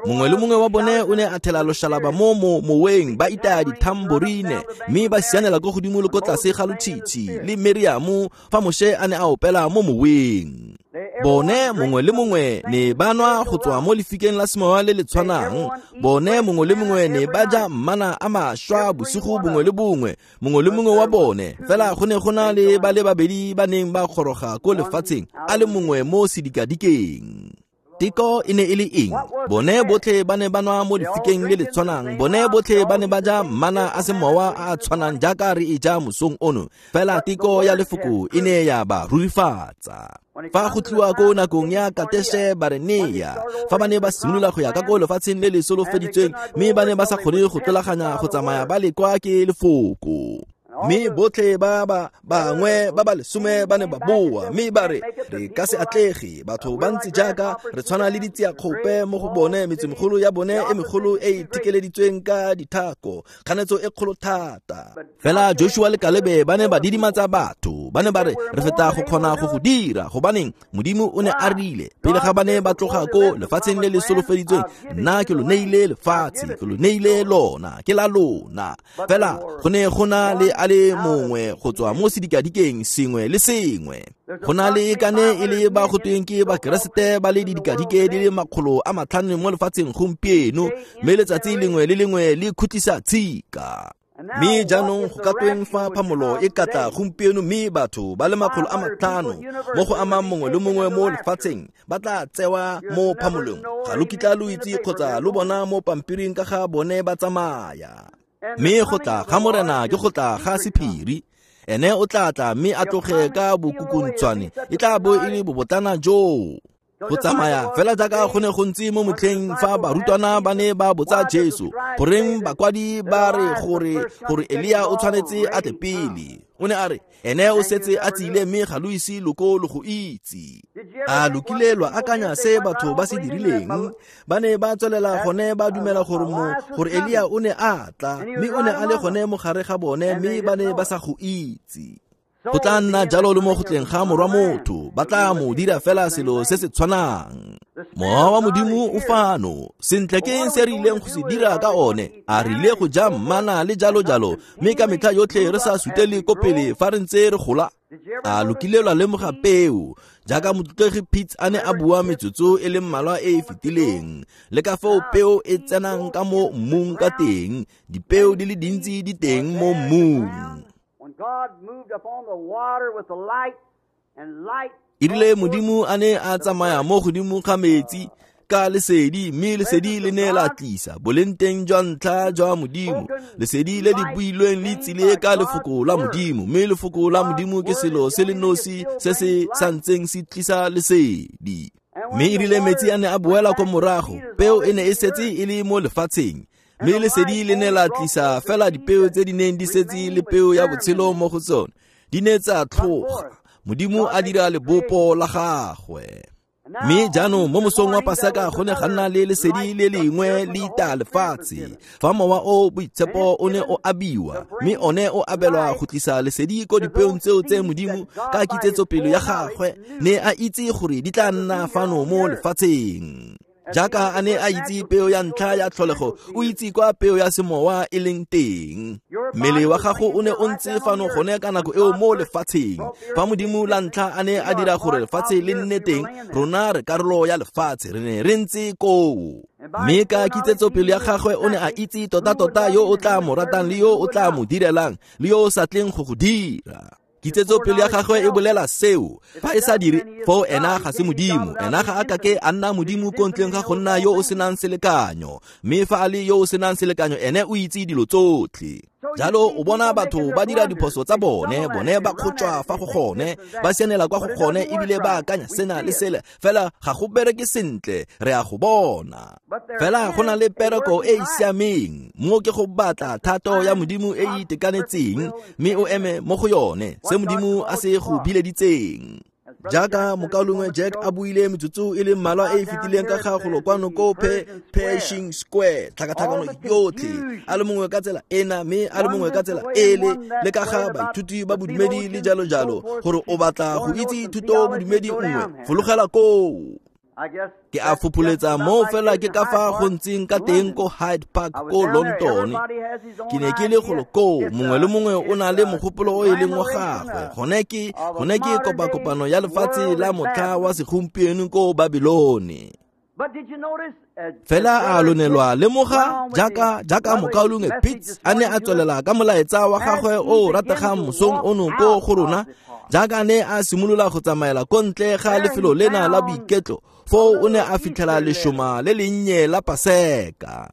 Mongwe le mongwe wa bone o ne a thela loshalaba mo moweng, ba itaya dithamborine, mme ba sianela ko godimo le ko tlase ga lotshitshi le Miriamo fa Moshe a ne a opela mo moweng. Bone mongwe le mongwe ne ba nwa go tswa mo lefikeng la semowa le le tshwanang. Bone mongwe le mongwe ne ba ja mmana a mašwa bosigo bongwe le bongwe, mongwe le mongwe wa bone. Fela go ne go na le ba le babedi ba neng ba goroga ko lefatsheng, a le mongwe mo sedikadikeng. Teko e ne e le eng? Bone botlhe ba ne ba nwa mo lefikeng le le tshwanang. Bone botlhe ba ne ba ja mmana a semowa a a tshwanang jaaka re e ja mosong ono. Fela teko ya lefoko e ne ya ba rurifatsa. Fa go tliwa ko nakong ya Kateshe Barenea, fa ba ne ba simolola go ya ka ko lefatsheng le le solofeditsweng, mme ba ne ba sa kgone go tlolaganya go tsamaya ba le kwa ke lefoko. Mme botlhe ba ba bangwe ba ba lesome ba ne ba boa, mme ba re re ka se atlege, batho ba ntse jaaka re tshwana le ditsiakgope mo go bone, metsemegolo ya bone e megolo e e thikeleditsweng ka dithako, kganetso e kgolo thata. Fela Joshua le Kalebe ba ne ba didimatsa batho, ba ne ba re re feta go kgona go go dira, gobaneng Modimo o ne a rile pele ga ba ne ba tloga ko lefatsheng le le solofeditsweng, nna ke lo neile lefatshe, ke lo neile lona, ke la lona. Fela go ne go na le a le mongwe go tswa mo sedikadikeng sengwe le sengwe. Go na le kane e le ba go tweng ke Bakeresete ba le didikadike di le 500 mo lefatsheng gompieno, mme letsatsi lengwe le lengwe le khutlisa tshika. Mme jaanong go ka tweng fa phamolo e ka tla gompieno, mme batho ba le 500 mo go amang mongwe le mongwe mo lefatsheng ba tla tsewa mo phamolong? Ga lo kitla lo itse kgotsa lo bona mo pampiring ka ga bone ba tsamaya. Mme go tla ga Morena ke go tla ga sephiri. Ene o tla tla mme a tloge ka bokukuntshwane, e tla bo e le bobotlana joo. Go tsamaya fela jaaka go ne go ntse mo motlheng fa barutwana ba ne ba botsa Jesu, goreng bakwadi ba re gore Elia o tshwanetse a tle pele. O ne a re ene o setse a tsile, mme ga lo ise lo ko lo go itse. A lo kile lwa akanya se batho ba se dirileng? Ba ne ba tswelela gone ba dumela gore Elia o ne a tla, mme o ne a le gone mo gare ga bone, mme ba ne ba sa go itse. Go tla nna jalo le mo go tleng ga Morwa Motho, ba tla mo dira fela selo se se tshwanang. Mowa wa Modimo o fano. Sentle ke eng se re ileng go se dira ka one? A re ile go ja mmana le jalo jalo, mme ka metlha yotlhe re sa sutele ko pele fa re ntse re gola? A lo kile lwa lemoga peo, jaaka motlotlegi Pitts a ne a bua metsotso e le mmalwa e e fetileng, le ka foo peo e tsenang ka mo mmung ka teng, dipeo di le dintsi di teng mo mmung. E rile Modimo a ne a tsamaya mo godimo ga metsi ka lesedi, mme lesedi le ne la tlisa boleng teng jwa ntlha jwa Modimo. Lesedi le le builweng le tsile ka lefoko la Modimo, mme lefoko la Modimo ke selo se le nosi se se santseng se tlisa lesedi. Mme e rile metsi a ne a boela ko morago, peo e ne e setse e le mo lefatsheng, mme lesedi le ne la tlisa fela dipeo tse di neng di setse le peo ya botshelo mo go tsone, di ne tsa tlhoga. Modimo a dira lebopo la gagwe. Mme jaanong mo mosong wa Paseka go ne ga nna le lesedi le lengwe le ita lefatshe, fa Mowa o Boitshepo o ne o abiwa, mme one o abelwa go tlisa lesedi ko dipeong tseo tse Modimo ka kitsetsopele ya gagwe ne a itse gore di tla nna fano mo lefatsheng. Jaaka a ne a itse peo ya ntlha ya tlholego, o itse kwa peo ya semowa e leng teng. Mmele wa gago o ne o ntse fano gone ka nako eo mo lefatsheng. Fa Modimo la ntlha a ne a dira gore lefatshe le nne teng, rona re karolo ya lefatshe, re ne re ntse koo. Mme ka kitsetsopele ya gagwe o ne a itse tota-tota yo o tla mo ratang le yo o tla mo direlang le yo o sa tleng go go dira. Kitsetsopele ya gagwe e bolela seo. Fa e sa dire, foo ena ga se Modimo. Ena ga a kake a nna Modimo ko ntleng ga go nna yo o senang selekanyo. Mme fa a le yo o senang selekanyo, ene o itse dilo tsotlhe. Jalo o bona batho ba dira diphoso tsa bone, bone ba kgotšwa fa go gone, ba sianela kwa go gone, ebile ba akanya sena le sele, fela ga go bereke sentle, re a go bona. Fela go na le pereko e e siameng, mo ke go batla thato ya Modimo e e itekanetseng, mme o eme mo go yone, se Modimo a se go bileditseng. Jaaka mokaulengwe Jack a buile metsotso e le mmalwa e e fetileng ka ga golo kwano ko Pershing Square, tlhakatlhakano yotlhe, a le mongwe ka tsela ena mme a le mongwe ka tsela ele, le ka ga baithuti ba bodumedi le jalo jalo, gore o batla go itse thuto bodumedi nngwe, fologela koo. Ke a fopholetsa mo fela ke ka fa go ntseng ka teng ko Hyde Park ko London. Ke ne ke le golo koo, mongwe le mongwe o na le mogopolo o e leng wa gagwe. Gone ke kopakopano ya lefatshe la motlha wa segompieno ko Babylone. Fela a lo ne lwa lemoga jaaka mokaulengwe Pitts a ne a tswelela ka molaetsa wa gagwe o o rategang mosong ono ko go rona, jaaka ne a simolola go tsamaela ko ntle ga lefelo lena la boiketlo, foo o ne a fitlhela lešoma le lennye la Paseka.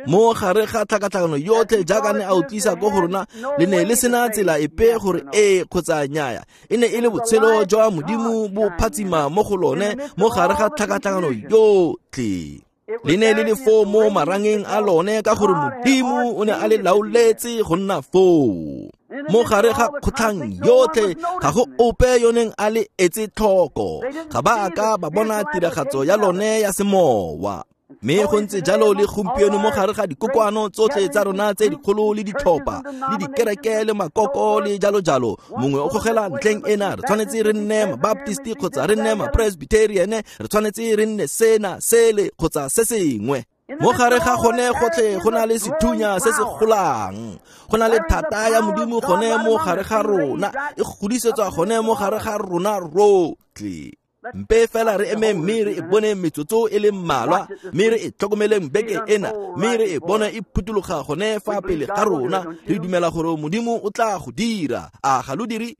Mo gare ga tlhakatlhakano yotlhe jaaka ne a o tlisa ko go rona, le ne le sena tsela epe gore ee kgotsa nnyaya. E ne e le botshelo jwa Modimo bo phatsima mo go lone mo gare ga tlhakatlhakano yotlhe. Le ne le le foo mo marangeng a lone ka gore Modimo o ne a le laoletse go nna foo. Mo gare ga kgotlhang yotlhe ga go ope yo neng a le etse tlhoko, ga ba a ka ba bona tiragatso ya lone ya semowa. Mme go ntse jalo le gompieno mo gare ga dikokoano tsotlhe tsa rona tse dikgolo le ditlhopha le dikereke le makoko le jalo jalo, mongwe o gogela ntlheng ena, re tshwanetse re nne mabaptist kgotsa re nne mapresbyterian, re tshwanetse re nne sena sele kgotsa se sengwe. Mo gare ga gone gotlhe go na le sethunya se se golang, go na le thata ya Modimo gone mo gare ga rona, e godisetswa gone mo gare ga rona rotlhe. Mpe fela re eme mme re e bone metsotso e le mmalwa, mme re e tlhokomeleng beke ena, mme re e bone e phuthuloga gone fa pele ga rona. Re dumela gore Modimo o tla go dira. A ga lo dire?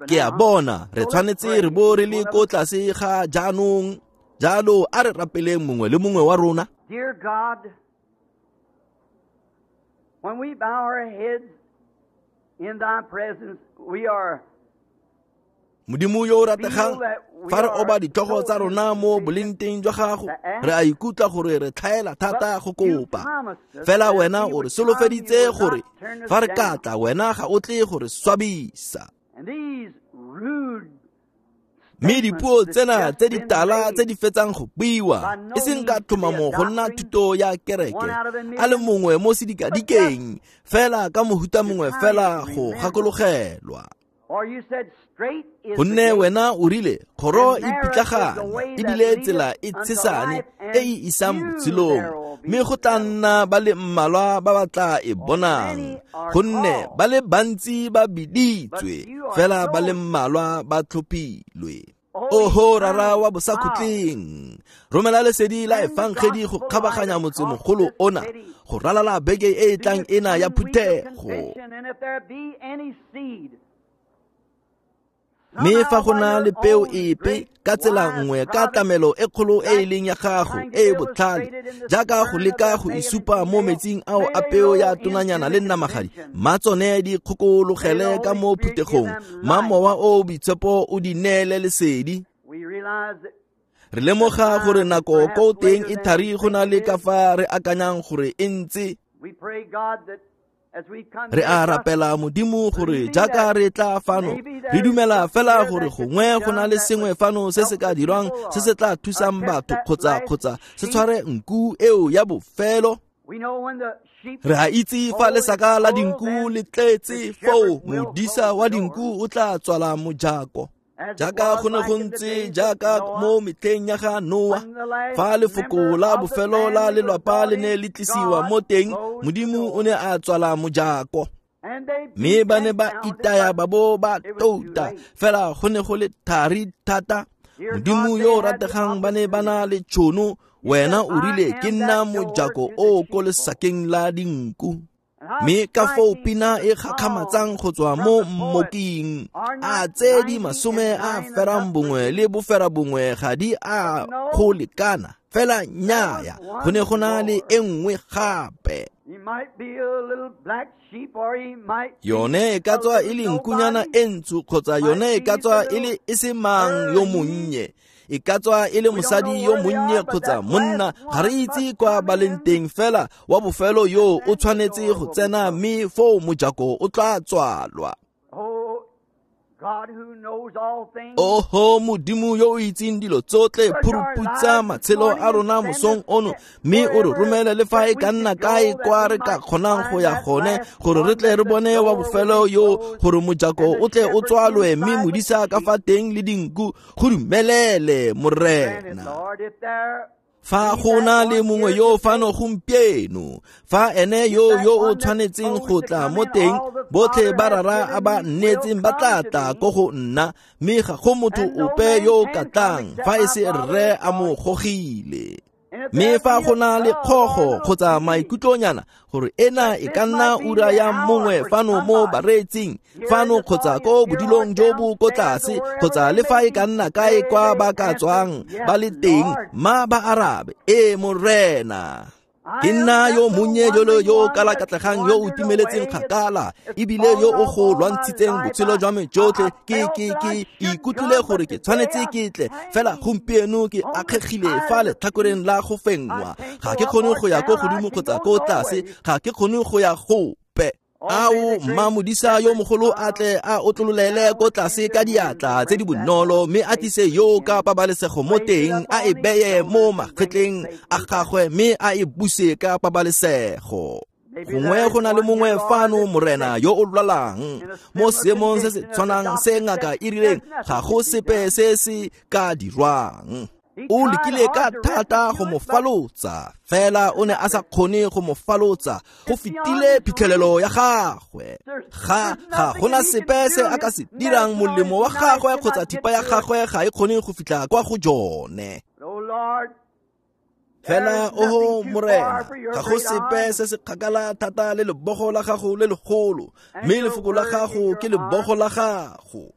Ke a bona re tshwanetse re bo re le ko tlase ga jaanong. Jalo a re rapeleng mongwe le mongwe wa rona. Dear God, when we bow our heads in thy presence, we are Modimo yo o rategang, fa re oba ditlhogo tsa rona mo bolengteng jwa gago, re a ikutlwa gore re tlhaela thata go kopa. Fela wena o re solofeditse gore fa re ka tla, wena ga o tle go re swabisa. Mme dipuo tsena tse di tala tse di fetsang go buiwa e seng ka tlhomamo go nna thuto ya kereke a le mongwe mo sedikadikeng fela ka mohuta mongwe fela go gakologelwa. Gonne wena o rile kgoro e pitlagane ebile tsela e tshesane e e isang botshelong, mme go tla nna ba le mmalwa ba ba tla e bonang, gonne ba le bantsi ba biditswe fela ba le mmalwa ba tlhophilwe. Oho Rara wa bosakhutleng, romela lesedi la efangedi go kgabaganya motsemogolo ona go ralala beke e e tlang ena ya phuthego. Mme fa go na le peo epe ka tsela nngwe ka tlamelo e kgolo e e leng ya gago e e botlhale jaaka go leka go isupa mo metsing ao a peo ya tonanyana le namagadi, mma tsone di kgokologele ka mo phuthegong, mma mowa o boitshepo o di neele lesedi. Re lemoga gore nako ko teng e thari go na le ka fa re akanyang gore e ntse. Re a rapela Modimo gore jaaka re tla fano re dumela fela gore gongwe go na le sengwe fano se se ka dirwang se se tla thusang batho kgotsa se tshware nku eo ya bofelo. Re a itse fa lesaka la dinku le tletse foo modisa wa dinku o tla tswala mojako. Jaaka go ne go ntse jaaka mo metlheng ya ga Noa, fa lefoko la bofelo la lelwapa le ne le tlisiwa mo teng, Modimo o ne a tswala mojako. Mme ba ne ba itaya ba bo ba touta, fela go ne go le thari thata. Modimo yo o rategang ba ne ba na le tšhono, wena o rile ke nna mojako o ko lesakeng la dinku. Mme ka foo pina e gakgamatsang go tswa mo mmoking, a tse di 91 le 9 ga di a go lekana, fela nnyaya go ne go na le e nngwe gape. Yone e ka tswa e le nkunyana e ntsho kgotsa yone e ka tswa e le e se mang yo monnye, e ka tswa e le mosadi yo monnye kgotsa monna, ga re itse kwa ba leng teng, fela wa bofelo yo o tshwanetse go tsena mme foo mojako o tla tswalwa. Oho Modimo yo o itseng dilo tsotlhe, phuruputsa matshelo a rona mosong ono, mme o re romele le fa e ka nna kae kwa re ka kgonang go ya gone, gore re tle re bone wa bofelo yo, gore mojako o tle o tswalwe mme modisa ka fa teng le dinku go dumelele Morena. Fa go na le mongwe yo fano gompieno, fa ene yo o tshwanetseng go tla mo teng, botlhe ba rara a ba nnetseng ba tla tla ko go nna, mme ga go motho ope yo o ka tlang fa e se rre a mo gogile. Mme fa go na le kgogo kgotsa maikutlonyana gore ena e ka nna ura ya mongwe fano mo bareetsing fano kgotsa ko bodilong jo bo ko tlase kgotsa le fa e ka nna kae kwa ba ka tswang ba le teng, mma ba arabe, ee Morena. Ke nna yo monnye jolo yo kalakatlegang yo o timeletseng kgakala ebile yo o go lwantshitseng botshelo jwa me jotlhe. Ke ikutlwile gore ke tshwanetse ke tle, fela gompieno ke akgegile fa letlhakoreng la go fenngwa. Ga ke kgone go ya ko godimo kgotsa ko tlase, ga ke kgone go ya gope. Ao mma modisa yo mogolo a tle a otlololele ko tlase ka diatla tse di bonolo, mme a tlise yo ka pabalesego mo teng, a e beye mo magetleng a gagwe mme a e buse ka pabalesego. Gongwe go na le mongwe fano Morena yo o lwalang mo seemong se se tshwanang se ngaka e rileng ga go sepe se se ka dirwang. O lekile ka thata go mo falotsa, fela o ne a sa kgone go mo falotsa, go fetile phitlhelelo ya gagwe. Ga gona sepe se a ka se dirang, molemo wa gagwe kgotsa thipa ya gagwe ga e kgone go fitlha kwa go jone. Fela oho Morena, ga go sepe se se kgakala thata le lebogo la gago le legolo, mme lefoko la gago ke lebogo la gago.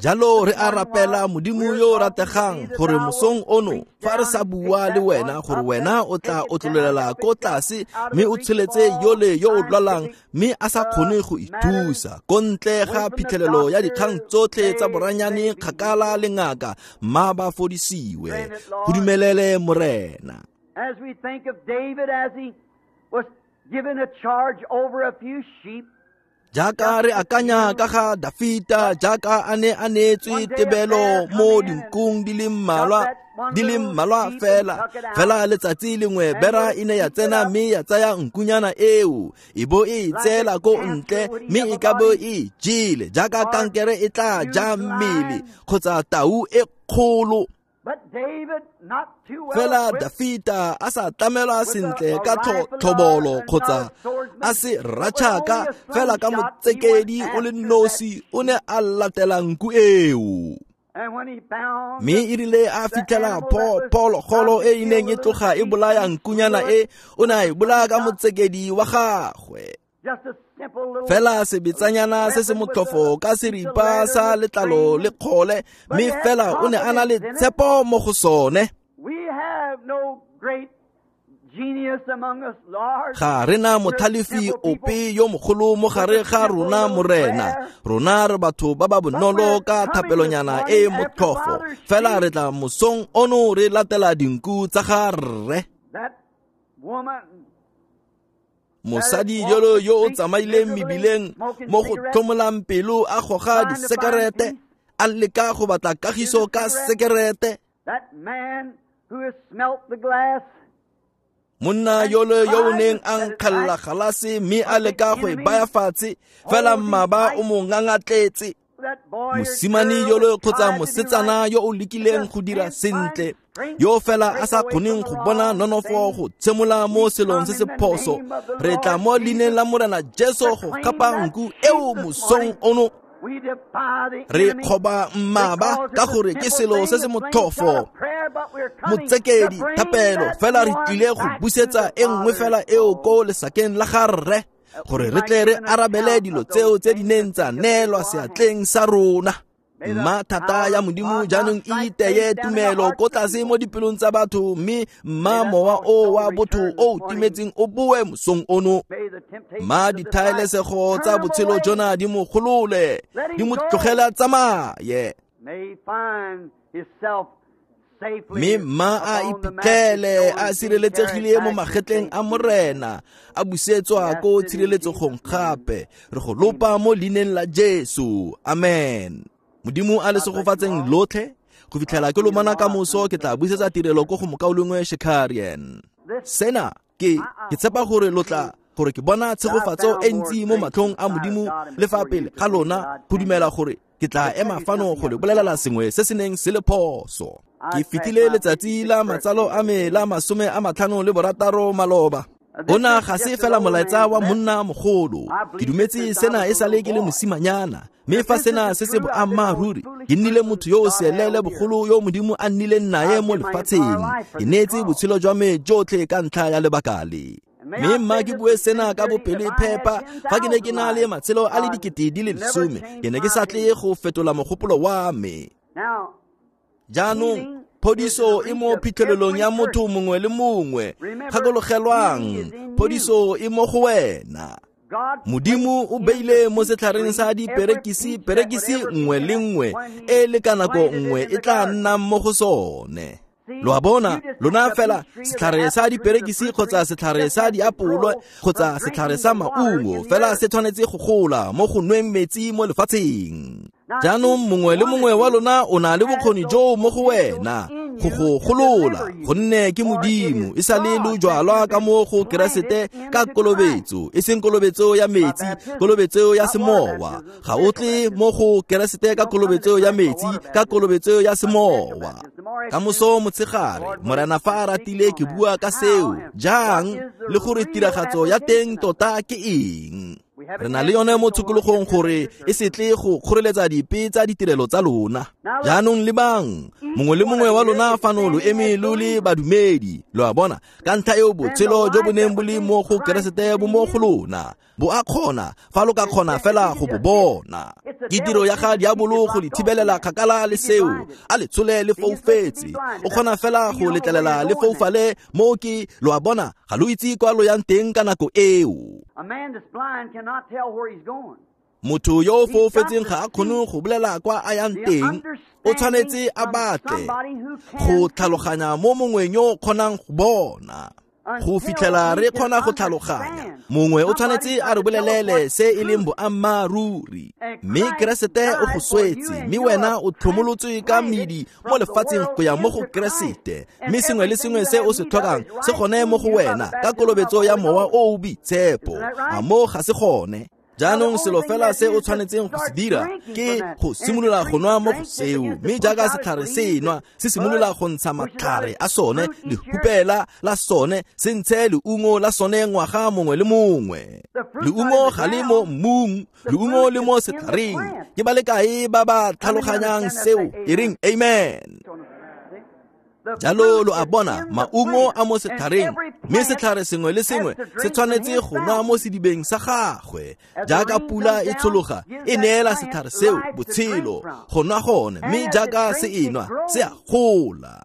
Jalo re a rapela Modimo yo o rategang gore mosong ono fa re sa bua le wena, gore wena o tla otlololela ko tlase mme o tsholetse yole yo o lwalang mme a sa kgone go ithusa, ko ntle ga phitlhelelo ya dikgang tsotlhe tsa boranyane kgakala le ngaka, mma ba fodisiwe. Go dumelele Morena. As we think of David as he was given a charge over a few sheep, Jaaka re akanya ka ga Dafita jaaka a ne a neetswe tebelo mo dinkung di le mmalwa fela, fela letsatsi lengwe bera e ne ya tsena mme ya tsaya nkunyana eo e bo e tseela ko ntle mme e ka bo e jele jaaka kankere e tla ja mmele kgotsa tau e kgolo. Fela Dafita a sa tlamelwa sentle ka tlhobolo kgotsa a se ratšhaka, fela ka motsekedi o le nosi o ne a latela nku eo. Mme e rile a fitlhela phologolo e e neng e tloga e bolaya nkunyana e, o ne a e bolaya ka motsekedi wa gagwe. Fela sebetsanyana se se motlhofo ka seripa sa letlalo le kgole, mme fela o ne a na le tshepo mo go sone. Ga rena motlhalefi ope yo mogolo mo gare ga rona, Morena. Rona re batho ba ba bonolo ka thapelonyana e motlhofo, fela re tla mosong ono re latela dinku tsa ga rre. Mosadi yolo yo o tsamaileng mebileng mo go tlhomolang pelo a goga disekerete, a leka go batla kagiso ka sekerete. Monna yolo yo o neng a nkgalla galase mme a leka go e baya fatshe, fela mmaba o mo ngangatletse. Mosimane yolo kgotsa mosetsana yo o lekileng go dira sentle, yo fela a sa kgoneng go bona nonofo go tshemola mo selong se se phoso, re tla mo leineng la Morena Jesu go gapa nku eo mosong ono. Re kgoba mmaba ka gore ke selo se se motlhofo, motsekedi thapelo, fela re tlile go busetsa e nngwe fela eo ko lesakeng la ga rre, gore re tle re arabele dilo tseo tse di neng tsa neelwa seatleng sa rona. Mma thata ya Modimo jaanong e iteye tumelo ko tlase mo dipelong tsa batho, mme mma mowa o wa botho o timetseng o boe mosong ono. Mma dithaelesego tsa botshelo jona di mo golole, di mo tlogela tsamaye, mme mma a iphitlhele a sireletsegile mo magetleng a Morena, a busetswa ko tshireletsegong gape. Re go lopa mo leineng la Jesu, amen. Modimo a le segofatseng lotlhe. Go fitlhela ke lomana ka moso, ke tla busetsa tirelo ko go mokaulengwe Shekarian. Sena ke tshepa gore lo tla gore ke bona tshegofatso e ntsi mo matlhong a Modimo le fa pele ga lona, go dumela gore ke tla ema fano go le bolelela sengwe se se neng se le phoso. Ke fetile letsatsi la matsalo a me la 56 maloba. Ona ga se fela molaetsa wa monna mogolo. Ke dumetse sena e sale ke le mosimanyana, mme fa sena se se boammaaruri, ke nnile motho yo o seelele bogolo yo Modimo a nnileng naye mo lefatsheng. Ke neetse botshelo jwa me jotlhe ka ntlha ya lebaka le. Mme mma ke bue sena ka bopelo phepa, fa ke ne ke na le matshelo a le 10,000, ke ne ke sa tle go fetola mogopolo wa me. Jaanong phodiso e mo phitlhelelong ya motho mongwe le mongwe. Gakologelwang, phodiso e mo go wena. Modimo o beile mo setlhareng sa diperekisi perekisi nngwe le nngwe e le ka nako nngwe e tla nnang mo go sone. Lo a bona, lona fela setlhare sa diperekisi kgotsa setlhare sa diapolo kgotsa setlhare sa maungo, fela se tshwanetse go gola mo go nweng metsi mo lefatsheng. Jaanong mongwe le mongwe wa lona o na le bokgoni joo mo go wena go go golola, gonne ke Modimo e sa le lo jwalwa ka mo go Keresete ka kolobetso, e seng kolobetso ya metsi, kolobetso ya semowa. Ga o tle mo go Keresete ka kolobetso ya metsi, ka kolobetso ya semowa. Ka moso motshegare, Morena fa a ratile ke bua ka seo jang, le gore tiragatso ya teng tota ke eng. Re na le yone mo tshokologong gore e se tle go kgoreletsa dipe tsa ditirelo tsa lona. Jaanong lebang, mongwe le mongwe wa lona fano lo eme lo le badumedi. Lo a bona, ka ntlha eo botshelo jo bo neng bo le mo go Keresete bo mo go lona. Bo a kgona, fa lo ka kgona fela go bo bona. Ke tiro ya ga diabolo go le thibelela kgakala le seo, a le tshole le foufetse. O kgona fela go letlelela le foufale mo ke, lo a bona, ga lo itse kwa lo yang teng ka nako eo. Motho yo o foufetseng ga a kgone go bolela kwa a yang teng, o tshwanetse a batle go tlhaloganya mo mongweng yo o kgonang go bona. Go fitlhela re kgona go tlhaloganya, mongwe o tshwanetse a re bolelele se e leng boammaaruri. Mme Keresete o go swetse, mme wena o tlhomolotswe ka medi mo lefatsheng go ya mo go Keresete. Mme sengwe le sengwe se o se tlhokang se gone mo go wena ka kolobetso ya Mowa o o Boitshepo. A mo ga se gone? Jaanong selo fela se o tshwanetseng go se dira ke go simolola go nwa mo go seo, mme jaaka setlhare se nwa, se simolola go ntsha matlhare a sone, lehupela la sone, se ntshe leungo la sone ngwaga mongwe le mongwe. Leungo ga le mo mmung, leungo le mo setlhareng. Ke ba le kae ba ba tlhaloganyang seo? E reng amen. Jalo lo a bona, maungo a mo setlhareng, mme setlhare sengwe le sengwe se tshwanetse go nwa mo sedibeng sa gagwe. Jaaka pula e tshologa, e neela setlhare seo botshelo go nwa gone, mme jaaka se e nwa, se a gola.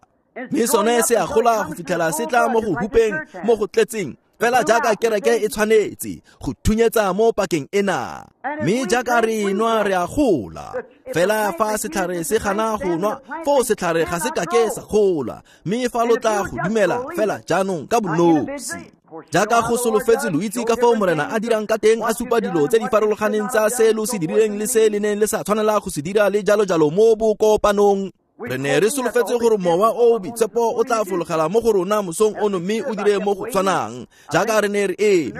Mme sone se a gola go fitlhela se tla mo go hupeng mo go tletseng, fela jaaka kereke e tshwanetse go thunyetsa mo pakeng ena. Mme jaaka re nwa, re a gola. Fela fa setlhare se gana go nwa, foo setlhare ga se kake sa gola. Mme fa lo tla go dumela fela jaanong ka bonosi, jaaka go solofetse, lo itse ka fao Morena a dirang ka teng, a supa dilo tse di farologaneng tsa se lo se dirileng le se le neng le sa tshwanela go se dira le jalo jalo mo bokopanong. Re ne re solofetse gore Mowa o o Boitshepo o tla fologela mo go rona mosong ono mme o dire mo go tshwanang jaaka re ne re eme.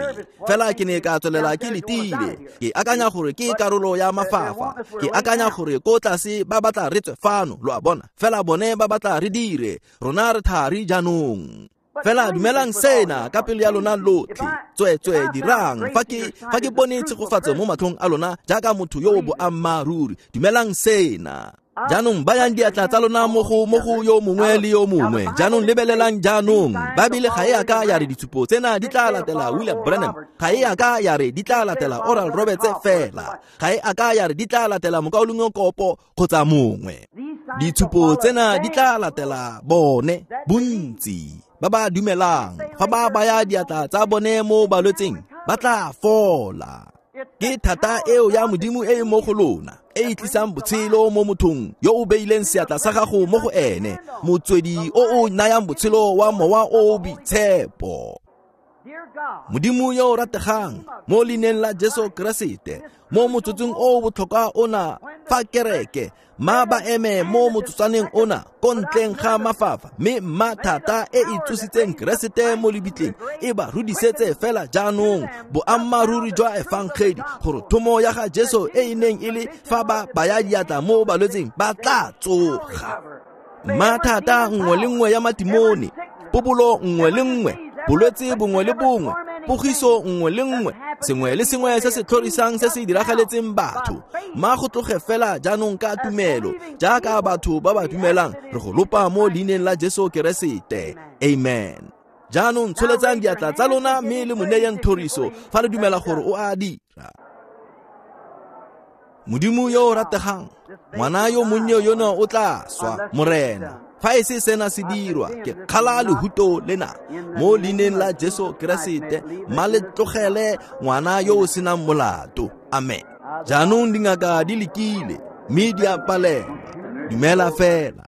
Fela ke ne ka tswelela ke letile, ke akanya gore ke karolo ya mafafa, ke akanya gore ko tlase ba batla re tswe fano, lo a bona, fela bone ba batla re dire, rona re thari jaanong. Fela dumelang sena ka pelo ya lona lotlhe, tsweetswe dirang. Fa ke bone tshegofatso mo matlhong a lona jaaka motho yo o boammaaruri, dumelang sena. Jaanong bayang diatla tsa lona mo go yo mongwe le yo mongwe. Jaanong lebelelang jaanong, Baebele ga e a ka ya re ditshupo tsena di tla latela William Branham, ga e a ka ya re di tla latela Oral Roberts fela, ga e a ka ya re di tla latela mokaulengwe Kopo kgotsa mongwe. Ditshupo tsena di tla latela bone bontsi ba ba dumelang. Fa ba baya diatla tsa bone mo balwetseng, ba tla fola. Ke thata eo ya Modimo e e mo go lona, e e tlisang botshelo mo mothong yo o beileng seatla sa gago mo go ene, motswedi o o nayang botshelo wa Mowa o o Boitshepo. Modimo yo o rategang, mo leineng la Jesu Keresete, mo motsotsong o o botlhokwa ona, fa kereke ma ba eme mo motsotswaneng ona ko ntleng ga mafafa, mme mma thata e e tsositseng Keresete mo lebitleng e ba rudisetse fela jaanong boammaaruri jwa efangedi, gore thomo ya ga Jesu e e neng e le fa ba baya diatla mo balwetseng ba tla tsoga. Mma thata nngwe le nngwe ya matimone, pobolo nngwe le nngwe, bolwetse bongwe le bongwe, pogiso nngwe le nngwe, sengwe le sengwe se se tlhorisang se se diragaletseng batho, ma go tloge fela jaanong ka tumelo, jaaka batho ba ba dumelang, re go lopa mo leineng la Jesu Keresete. Amen. Jaanong tsholetsang diatla tsa lona mme le mo neyeng thoriso fa le dumela gore o a dira. Modimo yo o rategang, ngwana yo monnye yono o tla swa, Morena, fa e se sena se dirwa, ke kgala lehuto lena mo leineng la Jesu Keresete, mma le tlogele ngwana yo o senang molato. Amen. Jaanong dingaka di lekile mme di a palelwa. Dumela fela.